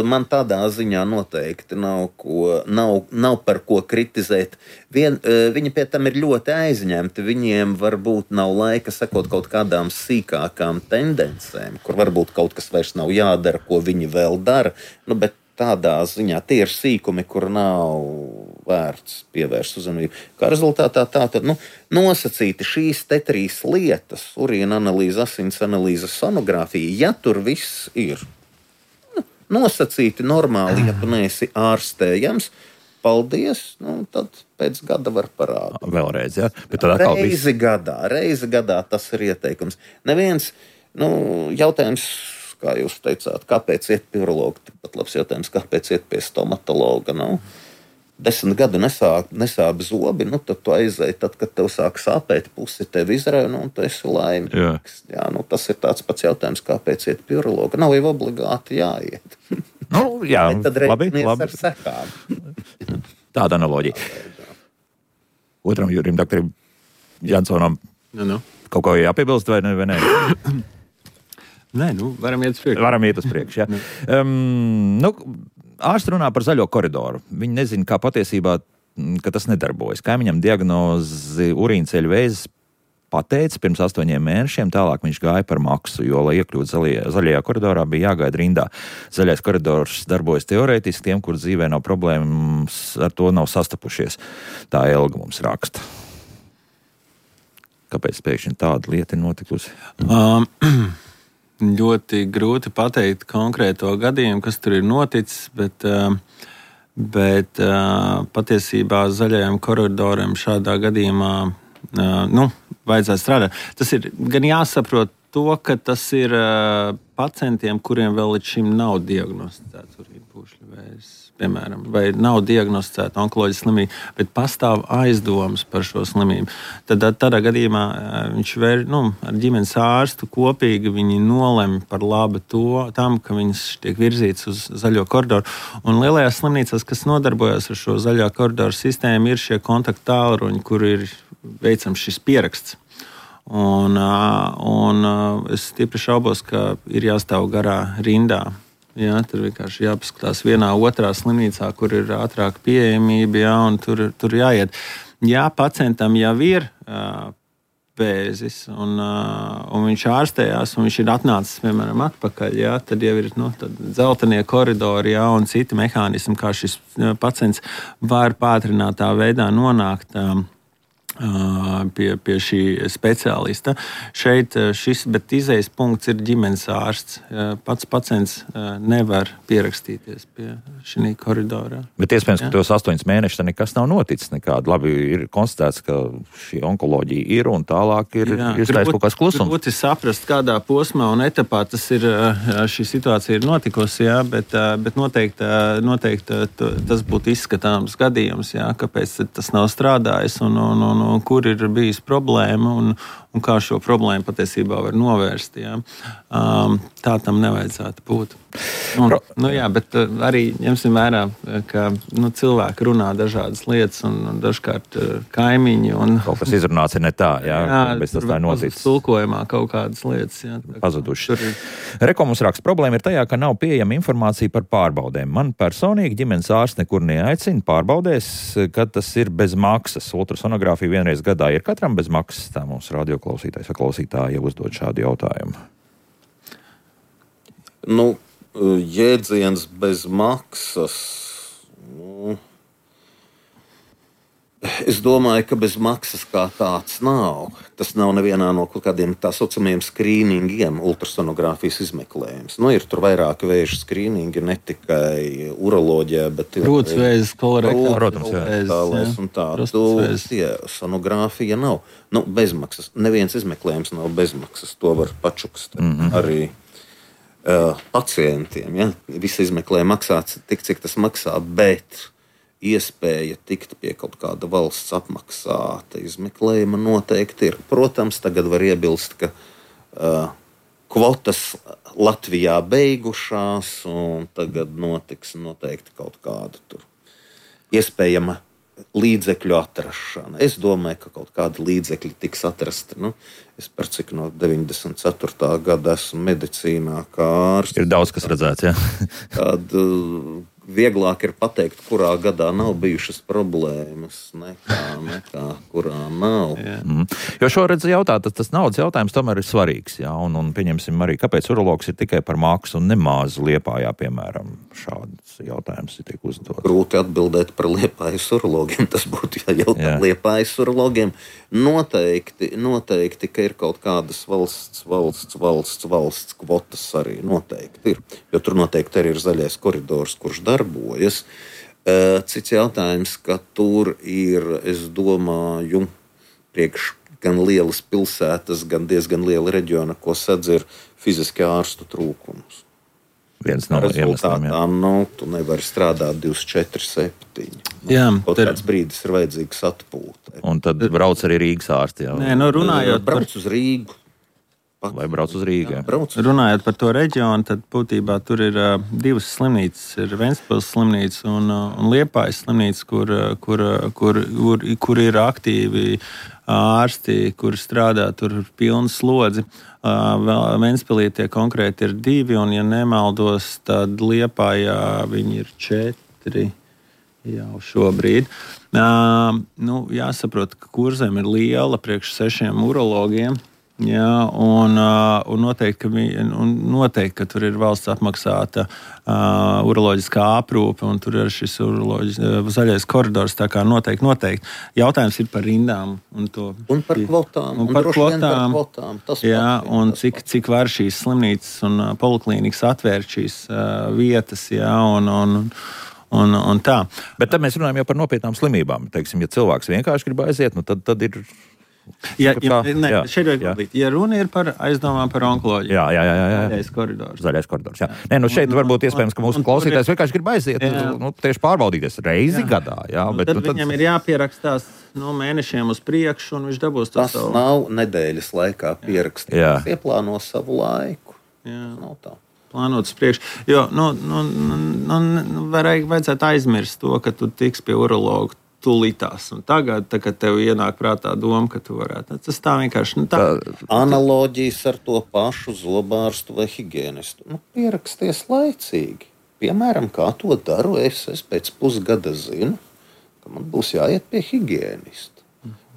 Man tādā ziņā noteikti nav, ko, nav, nav par ko kritizēt. Vien, viņi pie tam ir ļoti aizņemti. Viņiem varbūt nav laika sekot kaut kādām sīkākām tendencēm, kur varbūt kaut kas vairs nav jādara, ko viņi vēl dara. Nu, bet tādā ziņā tie ir sīkumi, kur nav vērts pievērst uzmanību. Kā rezultātā tā tad nu, nosacīti šīs te trīs lietas, urīna analīze, asins analīze, sonogrāfija, ja tur viss ir nu, nosacīti normāli, ja tu neesi ārstējams, paldies, nu, tad pēc gada var parādīt. Vēlreiz, jā? Bet tad atkal reizi viss... gadā, reizi gadā tas ir ieteikums. Neviens, nu, jautājums, kā jūs teicāt, kāpēc iet pie urologa? Pat labs jautājums, kāpēc iet pie stomatologa? Nu, desmit gadu nesāp, nesāp zobi, nu, tad tu aizēji, tad, kad tev sāk sāpēt, pusi tev izrauj, nu, un tu esi laimīgs. Jā. Jā, nu, tas ir tāds pats jautājums, kāpēc iet pie urologa. Nav jau obligāti jāiet. Nu, jā, tad labi, labi. Ar sekām. Tāda analoģija. Otram Jurim, doktoram Jansonam, nu, nu. kaut ko jāpiebilst vai ne? Vai ne? Nē, nu, varam iet uz priekšu. Varam iet uz priekšu, jā. um, nu, ārsti runā par zaļo koridoru. Viņi nezina, kā patiesībā, ka tas nedarbojas. Kaimiņam diagnozi urīnceļu vēzis pateica pirms astoņiem mēnešiem, tālāk viņš gāja par maksu, jo, lai iekļūtu zaļajā, zaļajā koridorā, bija jāgaida rindā. Zaļais koridors darbojas teorētiski tiem, kur dzīvē nav problēmas, ar to nav sastapušies. Tā Elga mums raksta. Kāpēc pēkšņi tāda lieta ir notikusi? Um. Ļoti grūti pateikt konkrēto gadījumu, kas tur ir noticis, bet, bet patiesībā zaļajam koridoram šādā gadījumā nu, vajadzētu strādāt. Tas ir gan jāsaprot to, ka tas ir pacientiem, kuriem vēl līdz šim nav diagnosticēts urīnpūšļu vēzis, piemēram, vai nav diagnosticēta onkoloģiska slimība, bet pastāv aizdomas par šo slimību. Tad tādā gadījumā viņš vēr, nu, ar ģimenes ārstu kopīgi viņi nolem par labu to, tam, ka viņš tiek virzīts uz zaļo koridoru. Un lielajās slimnīcās, kas nodarbojas ar šo zaļā koridoru sistēmu, ir šie kontaktu tālruņi, kur ir veicams šis pieraksts. Un, un es stipri šaubos, ka ir jāstāv garā rindā. Jā, tur vienkārši jāpaskatās vienā otrā slimnīcā, kur ir ātrāka pieejamība, jā, un tur, tur jāiet. Ja pacientam jau ir uh, vēzis, un, uh, un viņš ārstējās, un viņš ir atnācis, piemēram, atpakaļ, jā, tad jau ir nu, dzeltenie koridori, jā, un citi mehānismi, kā šis pacients var pātrinātā veidā nonākt um, Pie, pie šī speciālista. Šeit šis, bet izējas punkts ir ģimenes ārsts. Pats pacients nevar pierakstīties pie šī koridorā. Bet iespējams, ka tos astoņus mēnešus nekas nav noticis nekādi. Labi, ir konstatēts, ka šī onkoloģija ir un tālāk ir iestājas kaut kāds klusums. Grūti saprast, kādā posmā un etapā tas ir, šī situācija ir notikusi, jā, bet, bet noteikti, noteikti tas būtu izskatāms gadījums, jā, kāpēc tas nav strādājis un, un, un un kur ir bijis problēma un, un kā šo problēmu patiesībā var novērst. Ja? Um, tā tam nevajadzētu būt. Un, nu, jā, bet arī ņemsim vērā, ka nu, cilvēki runā dažādas lietas un dažkārt kaimiņi. Un, kaut kas izrunāts ir ne tā, jā, jā bet tas tā ir noticis. Tulkojumā kaut kādas lietas. Jā, pazuduši. Ir... Reko mums raksta, problēma ir tajā, ka nav pieejama informācija par pārbaudēm. Man personīgi ģimenes ārsts nekur neaicina pārbaudēs, kad tas ir bez maksas. Ultrasonogrāfija vienreiz gadā ir katram bez maksas. Tā mums radioklausītājs vai klausītāji jau uzdod šādu jautājumu. Nu, jēdziens bez maksas. Nu, es domāju, ka bez maksas kā tāds nav. Tas nav nevienā no kaut kādiem tā saucamiem skrīningiem, ultrasonogrāfijas izmeklējums. Nu, ir tur vairāk vēža skrīningi, ne tikai uroloģijā, bet ir krūtsvēzis, kolorektālais un tā. Tu, tie, sonogrāfija nav. Nu, bezmaksas. Neviens izmeklējums nav bezmaksas. To var pačukst mm-hmm. arī uh, pacientiem. Ja? Visi izmeklējumi maksā tik, cik tas maksā, bet iespēja tikt pie kaut kāda valsts apmaksāta izmeklējuma noteikti ir. Protams, tagad var iebilst, ka uh, kvotas Latvijā beigušās un tagad notiks noteikti kaut kāda tur iespējama līdzekļu atrašana. Es domāju, ka kaut kādi līdzekļi tiks atrasti. Nu, es par cik no deviņdesmit ceturtā gada esmu medicīnā kā ārsts. Ir daudz, kas redzēts, jā. Tad uh, vieglāk ir pateikt, kurā gadā nav bijušas problēmas, nekā, nekā kurā nav. Mm. Jo šo redz jautāt, tas, tas naudas jautājums tomēr ir svarīgs. Jā, un, un pieņemsim arī, kāpēc urologs ir tikai par maksu un nemaz Liepājā, piemēram, šāds jautājums ir tiek uzdot. Grūti atbildēt par Liepājas urologiem, tas būtu jājautā Liepājas urologiem. Noteikti, noteikti, ka ir kaut kādas valsts, valsts, valsts, valsts kvotas arī noteikti ir. Jo tur noteikti arī ir zaļais koridors, kurš darbojas. Cits jautājums, ka tur ir, es domāju, priekš gan lielas pilsētas, gan diezgan liela reģiona, ko sadz ir fiziski ārstu trūkums. Viens no iemesliem, jā. Nu, tu nevari strādāt divdesmit četri septiņi. Jā, kaut ter... kāds brīdis ir vajadzīgs atpūtē. Un tad brauc arī Rīgas ārsti, jā. Nē, nu runājot brauc uz Rīgu. Vai brauc uz Rīgu, jā. Brauc. Runājot par to reģionu, tad būtībā tur ir uh, divas slimnīcas. Ir Ventspils slimnīca un, uh, un Liepājas slimnīca, kur, uh, kur, uh, kur, kur, kur ir aktīvi ārsti, kur strādā tur pilnu slodzi. Uh, Ventspilī tie konkrēti ir divi, un, ja nemaldos, tad Liepājā viņi ir četri jau šobrīd. Uh, nu, jāsaprot, ka Kurzem ir liela priekš sešiem urologiem. Jā, un, un, noteikti, ka vi, un noteikti, ka tur ir valsts apmaksāta uh, uroloģiskā aprūpe, un tur ir šis uh, zaļais koridors. Tā kā noteikti, noteikti. Jautājums ir par rindām. Un, to, un par kvotām. Un, un par kvotām. Par kvotām. Tas jā, pat, un tas cik, cik var šīs slimnīcas un uh, poliklīnikas atvērt šīs uh, vietas. Jā, un, un, un, un tā. Bet tad mēs runājam jau par nopietnām slimībām. Teiksim, ja cilvēks vienkārši grib aiziet, nu tad, tad ir... Ja, ja, ne, jā, jā. ja runa ir par aizdomām par onkoloģiju, jā, jā, jā, jā. zaļais koridors. Zaļais koridors jā. Nē, nu šeit un, varbūt iespējams, ka mūsu klausītājs vienkārši grib aiziet, nu, tieši pārbaudīties reizi jā. gadā. Jā, nu, bet, tad nu, tad viņam ir jāpierakstās no mēnešiem uz priekšu, un viņš dabūs to tas savu. Nav nedēļas laikā pierakstīts. Ieplāno savu laiku. Jā. Nav tā. Plānots priekš. Jo, nu, nu, nu, nu vajag, vajadzētu aizmirst to, ka tu tiks pie urologa tulītās. Un tagad, tā, kad tev ienāk prātā doma, ka tu varētu. Tas tā vienkārši... Nu, tā. Analoģijas ar to pašu zobārstu vai higienistu. Nu, pieraksties laicīgi. Piemēram, kā to daru es, es pēc pusgada zinu, ka man būs jāiet pie higienista.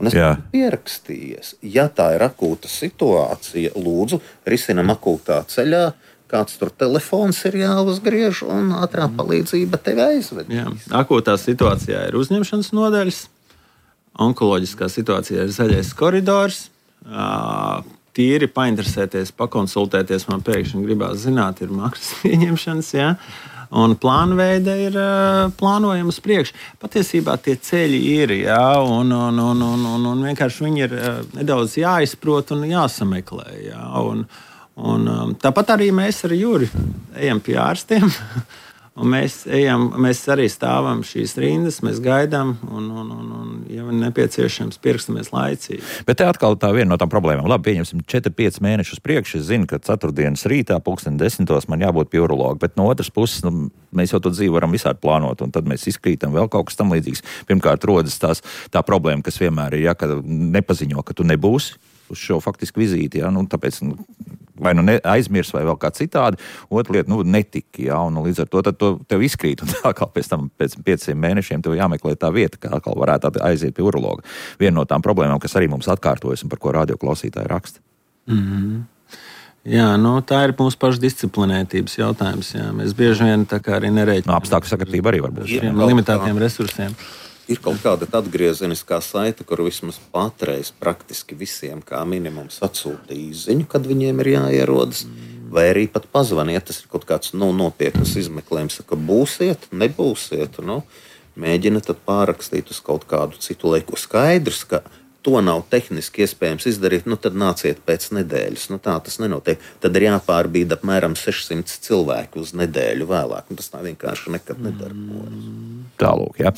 Un es esmu pierakstījies. Ja tā ir akūta situācija, lūdzu, risinam akūtā ceļā, kāds tur telefons ir jāuzgriež un ātrā palīdzība tevi aizved. Jā. Akūtā situācijā ir uzņemšanas nodaļas, onkoloģiskā situācijā ir zaļais koridors. Tīri painteresēties, pakonsultēties, man pēkšņi gribās zināt, ir maksas pieņemšanas, jā. Un plānveida ir plānojama uz priekšu. Patiesībā tie ceļi ir, jā, un, un, un, un, un, un vienkārši viņi ir nedaudz jāizprot un jāsameklē. Jā, un, un, tāpat arī mēs ar Juri ejam pie ārstiem. Un mēs, ejam, mēs arī stāvam šīs rindas, mēs gaidām, un, un, un, un ja nepieciešams, pirkstamies laicīgi. Bet te atkal tā viena no tām problēmām. Labi, pieņemsim četri pieci mēnešus priekš. Es zinu, ka ceturtdienas rītā, pulksten desmitos, man jābūt pie urologa. Bet no otras puses, nu, mēs jau to dzīvi varam visādi plānot, un tad mēs izkrītam vēl kaut kas tam līdzīgs. Pirmkārt, rodas tās, tā problēma, kas vienmēr ir, ja, ka nepaziņo, ka tu nebūsi uz šo faktisku vizīti, ja, nu, tāpēc nu, vai nu aizmirs vai vēl kā citādi. Otra lieta, nu, netika, ja, un līdz ar to tad to tev izkrīt, un tā kā pēc tam pēc pieciem mēnešiem tev jāmeklē tā vieta, kā atkal varētu aiziet pie urologa. Viena no tām problēmām, kas arī mums atkārtojas un par ko radioklausītāji raksta. Mm-hmm. Jā, nu, tā ir mūsu pašu disciplinētības jautājums. Jā. Mēs bieži vien tā kā arī nerēķinām. No, apstākļu sakritība arī var būt. Jā, limitētiem resursiem. Ir kaut kāda atgriezeniskā saite, kur vismaz patreiz praktiski visiem kā minimums atsūta īziņu, kad viņiem ir jāierodas, vai arī pat pazvaniet, tas ir kaut kāds nu, nopietnas izmeklējums, ka būsiet, nebūsiet, nu, mēģina tad pārrakstīt uz kaut kādu citu laiku. Skaidrs, ka to nav tehniski iespējams izdarīt, nu tad nāciet pēc nedēļas. Nu tā tas nenotiek. Tad ir jāpārbīda apmēram sešsimt cilvēku uz nedēļu vēlāk. Nu, tas tā vienkārši nekad nedarbojas. Tālūk, jā.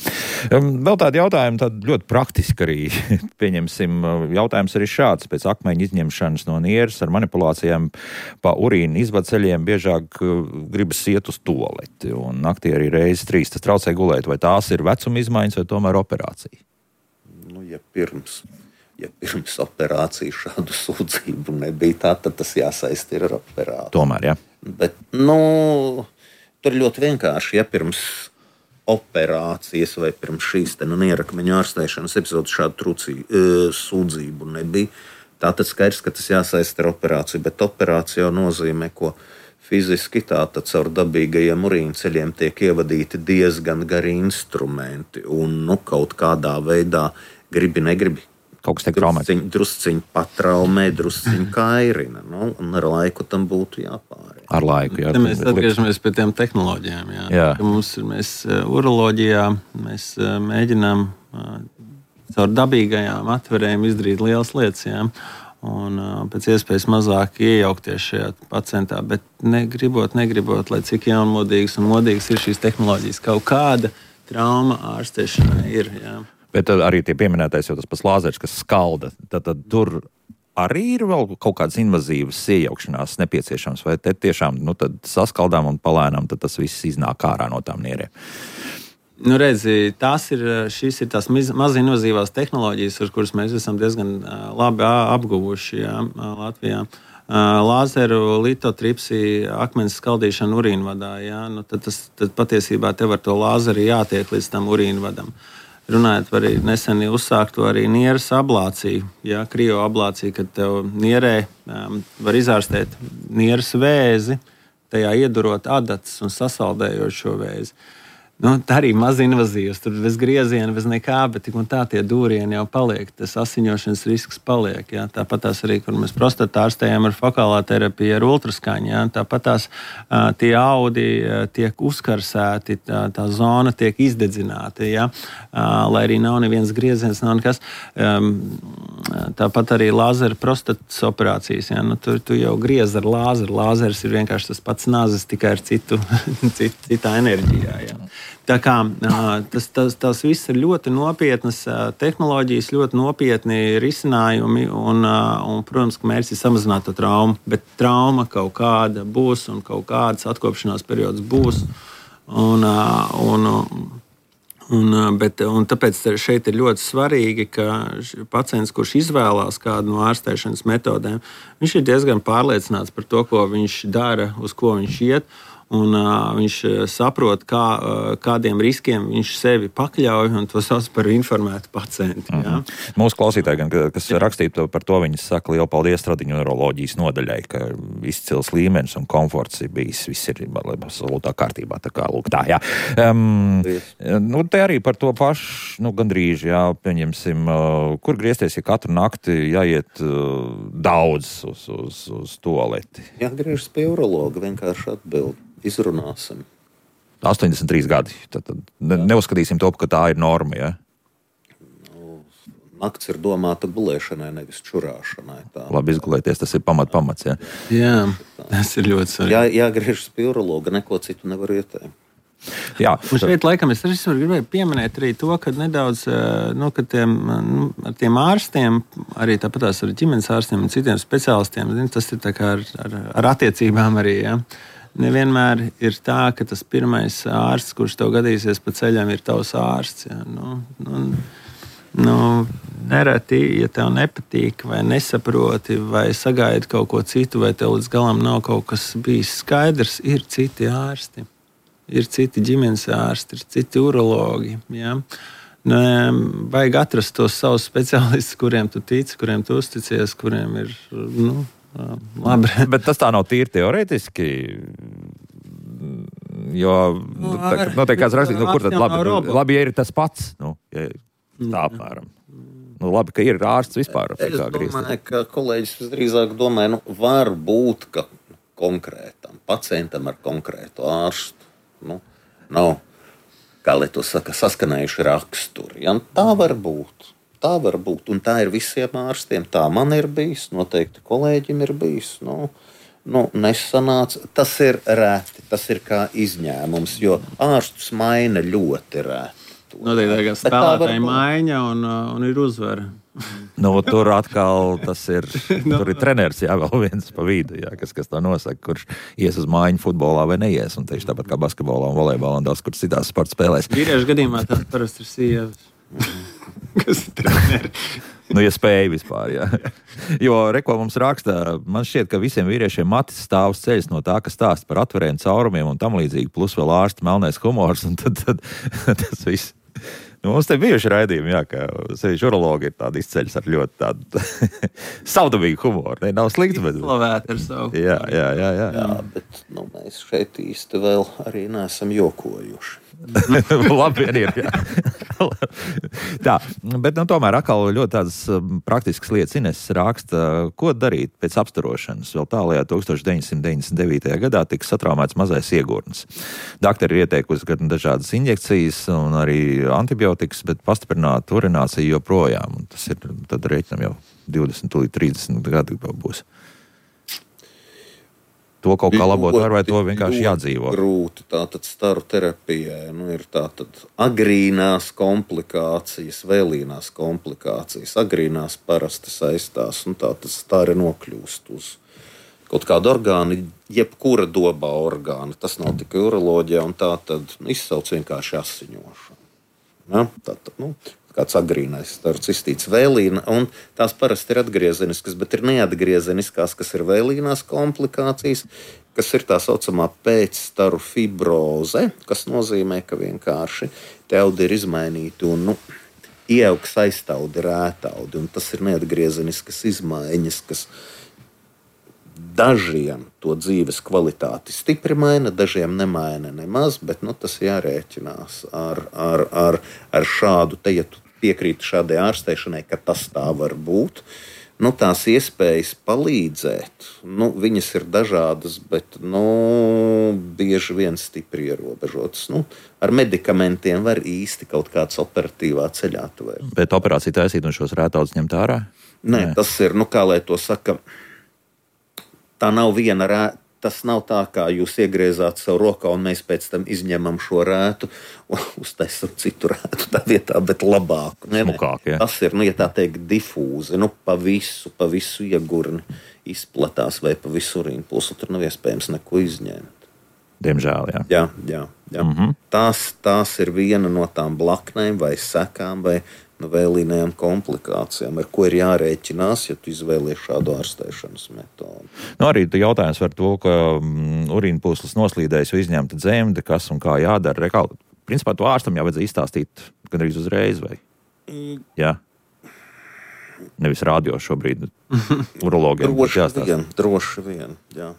Vēl tādi jautājumi, tādi ļoti praktiski arī. Pieņemsim, jautājums arī šāds. Pēc akmeņu izņemšanas no nieres ar manipulācijām pa urīnu izvadceļiem biežāk gribas iet uz tualeti. Un naktī arī reizes trīs. Tas traucē gulēt. Vai tās ir vecuma izmaiņas vai tomēr operācija? Nu, ja pirms, ja pirms operācijas šādu sūdzību nebija tā, tad tas jāsaista ir ar operāciju. Tomēr, jā. Bet, nu, tur ļoti vienkārši, ja pirms operācijas vai pirms šīs te, nu, nierakmeņu ārstēšanas epizodes šādu trūcī, e, sūdzību nebija, tā tad skaidrs, ka tas jāsaista ar operāciju, bet operācija jau nozīmē, ko fiziski tātad caur dabīgajiem urīnceļiem tiek ievadīti diezgan gari instrumenti un, nu, kaut kādā veidā gribi, negribi. Kaut kas tiek traumēts. Drusciņ, drusciņ patraumē, drusciņ kairina. Nu, un ar laiku tam būtu jāpāriet. Ar laiku, jā. Te mēs atgriežamies pie tiem tehnoloģijām. Jā. Jā. Mums ir, mēs uroloģijā, mēs mēģinām caur dabīgajām atverēm izdarīt lielas lietas, jā. Un pēc iespējas mazāk iejaukties šajā pacientā, bet negribot, negribot, lai cik jaunmodīgas un modīgas ir šīs tehnoloģijas. Kaut kāda trauma ārstēšanai ir, jā. Bet arī tie pieminētais jau tas pats lāzers, kas skalda, tad, tad tur arī ir vēl kaut kādas invazīvas iejaukšanās nepieciešams, vai te tiešām nu, tad saskaldām un palēnām, tad tas viss iznāk ārā no tām nierēm? Nu, redzi, tās ir, šīs ir tās maz invazīvās tehnoloģijas, ar kuras mēs esam diezgan labi apguvuši, jā, Latvijā. Lāzeru, litotripsiju, akmens skaldīšanu urīnvadā, jā, nu, tad, tas, tad patiesībā tev ar to lāzeri jātiek līdz tam urīnvadam. Runājot par nesen uzsākto arī nieres ablāciju, ja, krioablāciju, kad tev nierē um, var izārstēt nieres vēzi, tajā iedurot adatas un sasaldējot šo vēzi. Nu, tā arī maz invazīvs, tur bez grieziena, bez nekā, bet tik un tā tie dūrieni jau paliek, tas asiņošanas risks paliek. Jā. Tāpat tās arī, kur mēs prostatā ārstējam ar fokālā terapiju, ar ultraskaņu, jā. Tāpat tās uh, tie audi uh, tiek uzkarsēti, tā, tā zona tiek izdedzināta, jā. Uh, lai arī nav neviens grieziens, nav nekas. Um, tāpat arī lāzera prostatas operācijas, jā. Nu, tu, tu jau griez ar lāzeru, lāzers ir vienkārši tas pats nāzes, tikai ar citu, cit, citā enerģijā, jā. Tā kā tas, tas, tas viss ir ļoti nopietnas tehnoloģijas, ļoti nopietni risinājumi, un, un protams, ka mērķis ir samazināt to traumu, bet trauma kaut kāda būs, un kaut kāds atkopšanās periods būs. Un, un, un, bet, un tāpēc šeit ir ļoti svarīgi, ka pacients, kurš izvēlās kādu no ārstēšanas metodēm, viņš ir diezgan pārliecināts par to, ko viņš dara, uz ko viņš iet. Un uh, viņš saprot, kā, uh, kādiem riskiem viņš sevi pakļauj, un to sauc par informētu pacientu. Mm -hmm. Mūsu klausītāji, gan, kas rakstīja par to, viņi saka lielu paldies Stradiņu neiroloģijas nodaļai, ka izcils līmenis un komforts ir bijis, viss ir absolūtā kārtībā. Tā kā, lūk, tā, jā. Um, nu, te arī par to pašu, nu, gandrīz, jā, pieņemsim, uh, kur griezties, ja katru nakti jāiet uh, daudz uz, uz, uz tualeti? Jāgriežas pie urologa, vienkārši atbild. Izrunāsim. astoņdesmit trīs gadi. Tad, tad ne, neuzskatīsim to, ka tā ir norma, ja? Nu, nakts ir domāta gulēšanai, nevis čurāšanai. Tā. Labi izgulēties, tas ir pamat pamats, ja? Jā, tas ir ļoti svarīgi. Jā, jāgriežas pie urologa, neko citu nevar ieteikt. Jā. Un šeit, laikam, es arī gribēju pieminēt arī to, ka nedaudz, nu, ka tiem, nu, ar tiem ārstiem, arī tāpatās ar ģimenes ārstiem un citiem speciālistiem, tas ir tā kā ar, ar, ar attiecībām arī, ja? Nevienmēr ir tā, ka tas pirmais ārsts, kurš tev gadīsies pa ceļam, ir tavs ārsts. Ja? Nu, nu, nu, nereti, ja tev nepatīk, vai nesaproti, vai sagaidi kaut ko citu, vai tev līdz galam nav kaut kas bijis skaidrs, ir citi ārsti. Ir citi ģimenes ārsti, ir citi urologi. Ja? Nu, vajag atrast tos savus speciālistus, kuriem tu tici, kuriem tu uzticies, kuriem ir. Nu, labi. Bet tas tā nav tīri teorētiski. Jo, nu, tā, nu, tā kāds rakstīt, nu, kur tad labi, nu, labi, ja ir tas pats, nu, ja tā apmēram. Nu, labi, ka ir ārsts vispār. Es domāju, ka kolēģis visdrīzāk domāja, nu, var būt, ka konkrētam pacientam ar konkrētu ārstu, nu, nav, kā lai to saka, saskanējuši raksturi. Ja? Tā var būt. Tā var būt, un tā ir visiem ārstiem. Tā man ir bijis, noteikti kolēģim ir bijis. Nu, nu, nesanāca. Tas ir reti, tas ir kā izņēmums, jo ārstus maina ļoti reti. Noteikti kā spēlētāji maiņa un, un ir uzvara. Nu, tur atkal tas ir, tur ir treneris, jā, vēl viens pa vidu, jā, kas, kas to nosaka, kurš ies uz mājiņu futbolā vai neies, un tieši tāpat kā basketbolā un volejbolā un daudz, kur citās sporta spēlēs. Vīriešu gadījumā tā parasti ir sievas. Kas ir treneri? Nu, ja spēja vispār, jā. Jo, reko mums raksta, man šķiet, ka visiem vīriešiem matis stāvs ceļas no tā, kas stāsta par atveriem caurumiem un tam līdzīgi, plus vēl ārsta melnais humors, un tad, tad tas viss. Nu, mums te bijuši raidījumi, jā, ka sevišķi urologi ir tādi izceļas ar ļoti tādu savdabīgu humoru. Ne, nav slikti, bet... Slavēt ar savu. Jā, jā, jā, jā. Jā, bet nu, mēs šeit īsti vēl arī neesam jokojuši. Labi, vien ir, jā. Tā, bet nu, tomēr atkal ļoti tādas praktiskas lietas Ines raksta, ko darīt pēc apstarošanas. Vēl tālajā deviņdesmit deviņtajā gadā tika satraumēts mazais iegurnis. Daktari ir ieteikusi gan dažādas injekcijas un arī antibiotikas, bet pastiprināta urinācija joprojām. Un tas ir, tad reiķinam jau divdesmit līdz trīsdesmit gadi būs. To kaut kā labot var, vai to vienkārši jādzīvo? Grūti. Tātad staru terapijai nu, ir tātad agrīnās komplikācijas, vēlīnās komplikācijas. Agrīnās parasti saistās, un tātad stari nokļūst uz kaut kādu orgānu, jebkura dobā orgāna. Tas nav tikai uroloģijā, un tātad nu, izsauc vienkārši asiņošanu. Ja? Tātad, nu, kāds agrīnais starcistīts vēlīna, un tās parasti ir atgriezeniskas, bet ir neatgriezeniskās, kas ir vēlīnās komplikācijas, kas ir tā saucamā pēcstaru fibroze, kas nozīmē, ka vienkārši te audi ir izmainīti un, nu, ieaugs aiztaudi rētaudi, un tas ir neatgriezeniskas izmaiņas, kas dažiem to dzīves kvalitāti stipri maina, dažiem nemaina nemaz, bet, nu, tas jārēķinās ar, ar, ar, ar šādu, te, ja tu piekrītu šādai ārstēšanai, ka tas tā var būt. Nu, tās iespējas palīdzēt, nu, viņas ir dažādas, bet nu, bieži vien stipri ierobežotas. Nu, ar medikamentiem var īsti kaut kāds operatīvā ceļā tuvērt. Bet operācija taisīt un šos rētaudus ņemt ārā? Nē, Nē, tas ir, nu, kā lai to saka, tā nav viena rēta. Tas nav tā, kā jūs iegriezāt savu rokā, un mēs pēc tam izņemam šo rētu un uztaisam citu rētu tā vietā, bet labāku. Smukāk, ja. Tas ir, nu, ja tā teikt, difūzi, nu, pa visu, pa visu iegurni izplatās vai pa visu urīnu pulsu, tur nav iespējams neko izņemt. Diemžēl, jā. Jā, jā, jā. Mm-hmm. Tās, tās ir viena no tām blaknēm vai sekām vai no vēlīnējām komplikācijām, ar ko ir jārēķinās, ja tu izvēlies šādu ārstēšanas metodi. Nu, arī jautājums par to, ka mm, urīna pūslis noslīdējis vai izņemta dzemde, kas un kā jādara. Rekā, principā to ārstam jāvajadzēja izstāstīt gandrīz uzreiz, vai? Jā. Nevis rādio šobrīd urologiem. Droši vien, droši vien, jā.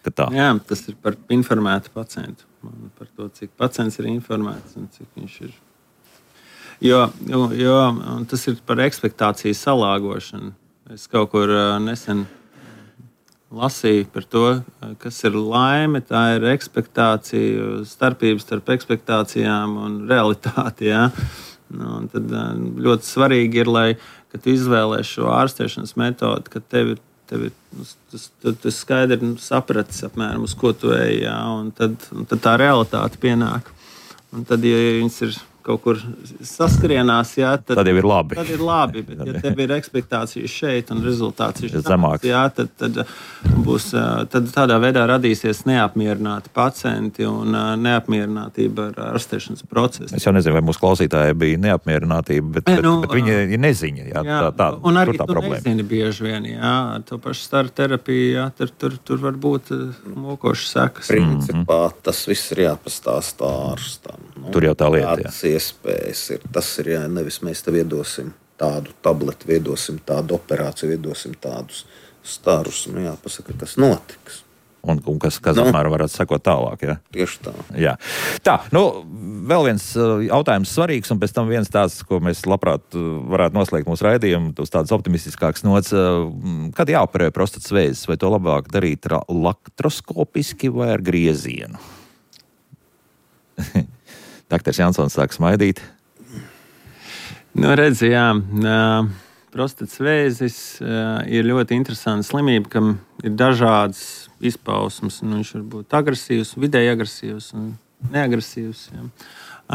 Tā. Jā, tas ir par informētu pacientu. Par to, cik pacients ir informēts un cik viņš ir. Jo, jo, jo tas ir par ekspektāciju salāgošanu. Es kaut kur nesen lasīju par to, kas ir laime. Tā ir ekspektācija, starpības starp ekspektācijām un realitāti. Ja? Nu, tad ļoti svarīgi ir, lai, kad tu izvēlēsi šo ārstēšanas metodi, ka tev ir Tev ir tas, tas skaidri sapratis, apmēram, uz ko tu ej, jā, un tad, un tad tā realitāte pienāk. Un tad, ja viņas ir kaut kur saskarienās, jā, tad, tad jau ir labi. Tad ir labi, bet ja tev ir ekspektācijas šeit un rezultāts ir zemāks, jā, tad, tad, būs, tad tādā veidā radīsies neapmierināti pacienti un neapmierinātība ar ārstēšanas procesu. Es jau nezinu, vai mūsu klausītāji bija neapmierinātība, bet, bet, nu, bet viņi ir neziņa. Jā, jā, tā, tā, un arī tā tu problēma. Nezini bieži vien, jā, ar to pašu staru terapiju, jā, tur, tur, tur var būt mokošas sekas. Principā tas viss ir jāpastāstā ārstam. Nu, tur jau tā lieta, jā. Iespējas ir. Tas ir, jā, nevis mēs tev iedosim tādu tabletu, iedosim tādu operāciju, iedosim tādus starus. Nu, jā, pasaka, kas notiks. Un, un kas, kas nu, apmēram varētu sekot tālāk, jā? Tieši tā. Jā. Tā, nu, vēl viens jautājums svarīgs, un pēc tam viens tāds, ko mēs labprāt varētu noslēgt mūsu raidījumu, uz tādas optimistiskākas nots. Kad jāoperē prostatas vēzis, vai to labāk darīt laktroskopiski vai ar griezienu? Daktars Jansons sāk smaidīt. Nu, redzi, jā, prostatas vēzis ir ļoti interesanta slimība, kam ir dažādas izpausmes. Nu, viņš var būt agresīvs, vidēji agresīvs un neagresīvs. Jā.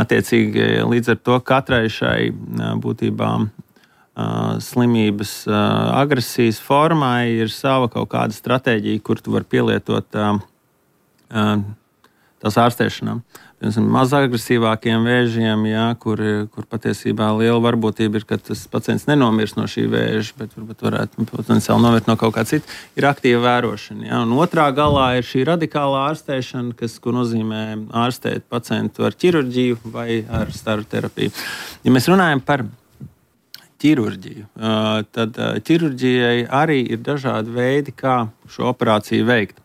Attiecīgi, līdz ar to katrai šai būtībā slimības agresijas formai ir sava kaut kāda stratēģija, kur tu vari pielietot tās ārstēšanām. Mazāk agresīvākiem vēžiem, jā, kur, kur patiesībā liela varbūtība ir, ka tas pacients nenomirs no šī vēža, bet varbūt varētu potenciāli nomirt no kaut kā cita, ir aktīva vērošana. Jā. Un otrā galā ir šī radikālā ārstēšana, kas, ko nozīmē ārstēt pacientu ar ķirurģiju vai ar staru terapiju. Ja mēs runājam par ķirurģiju, tad ķirurģijai arī ir dažādi veidi, kā šo operāciju veikt.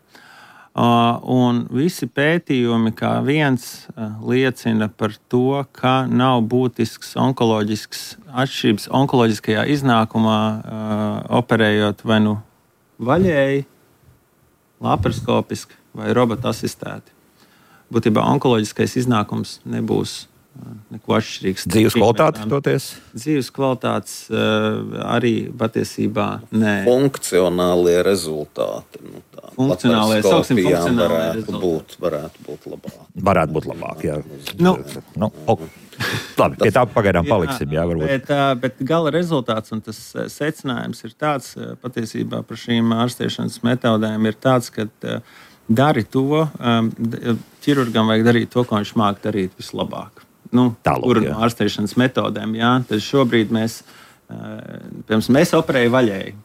Uh, un visi pētījumi kā viens uh, liecina par to, ka nav būtisks onkoloģisks atšķirības onkoloģiskajā iznākumā, uh, operējot vai nu vaļēji, laparoskopiski vai robota asistēti. Būtībā onkoloģiskais iznākums nebūs uh, neko atšķirīgs. Dzīves kvalitāte toties? Dzīves kvalitātes uh, arī patiesībā nē. Funkcionālie rezultāti. Nu, Funkcionālie, sauksim funkcionālie varētu būt, varētu būt labāk. Varētu būt labāk, jā. Nu, nu, oh. Labi, pie tā pagaidām paliksim, jā, varbūt. Bet, bet gala rezultāts un tas secinājums ir tāds, patiesībā par šīm ārstēšanas metodēm ir tāds, ka dari to, ķirurgam vajag darīt to, ko viņš māk darīt vislabāk. Nu, Tālūk, kur no ārstēšanas metodēm, jā. Tad šobrīd mēs, piemēram, mēs operēju vaļēji.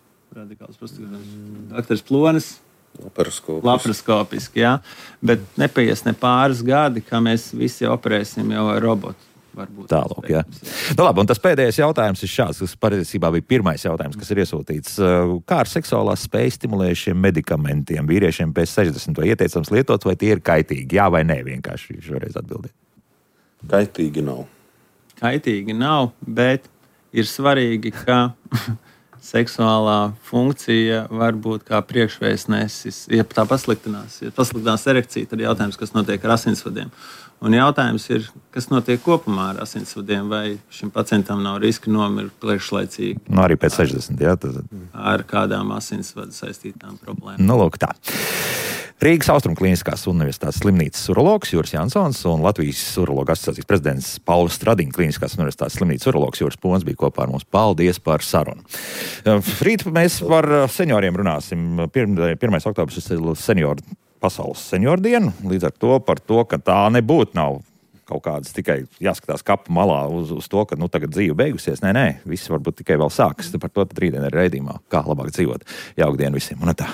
Radikāls prostatās. Daktars Plonis. Laparoskopiski. Laparoskopiski, jā. Bet nepaies ne pāris gadi, kā mēs visi operēsim jau ar robotu. Tālāk, jā. Nu, labi, un tas pēdējais jautājums ir šāds, kas patiesībā bija pirmais jautājums, kas ir iesūtīts. Kā ar seksuālās spējas stimulējušiem medikamentiem vīriešiem pēc sešdesmit vai ieteicams lietot, vai tie ir kaitīgi? Jā vai nē, vienkārši šoreiz atbildiet. Kaitīgi nav. Kaitīgi nav, bet ir svarīgi, ka seksuālā funkcija var būt kā priekšvēstnesis. Ja tā pasliktinās, ja pasliktinās erekcija, tad jautājums, kas notiek ar asinsvadiem. Un jautājums ir, kas notiek kopumā ar asinsvadiem, vai šim pacientam nav riska nomirt priekšlaicīgi. Nu, arī pēc sešdesmit, jā. Tad... Ar kādām asinsvadu saistītām problēmām. Nu, lūk tā. Rīgas Austrumkliniskās universitātes slimnīcas urologs Juris Jansons un Latvijas urologu asociācijas prezidents Pauls Stradiņa Kliniskās universitātes slimnīcas urologs Juris Pons bija kopā ar mums. Paldies par sarunu. Rīt mēs par senioriem runāsim. pirmais oktobris ir senioru pasaules senioru dienu. Līdz ar to par to, ka tā nebūtu nav kaut kādas tikai jāskatās kapu malā uz, uz to, ka nu, tagad dzīve beigusies. Nē, nē, viss varbūt tikai vēl sākas. Par to tad rītdien ir raidījumā, kā labāk dzīvot. Jauka diena visiem un tā.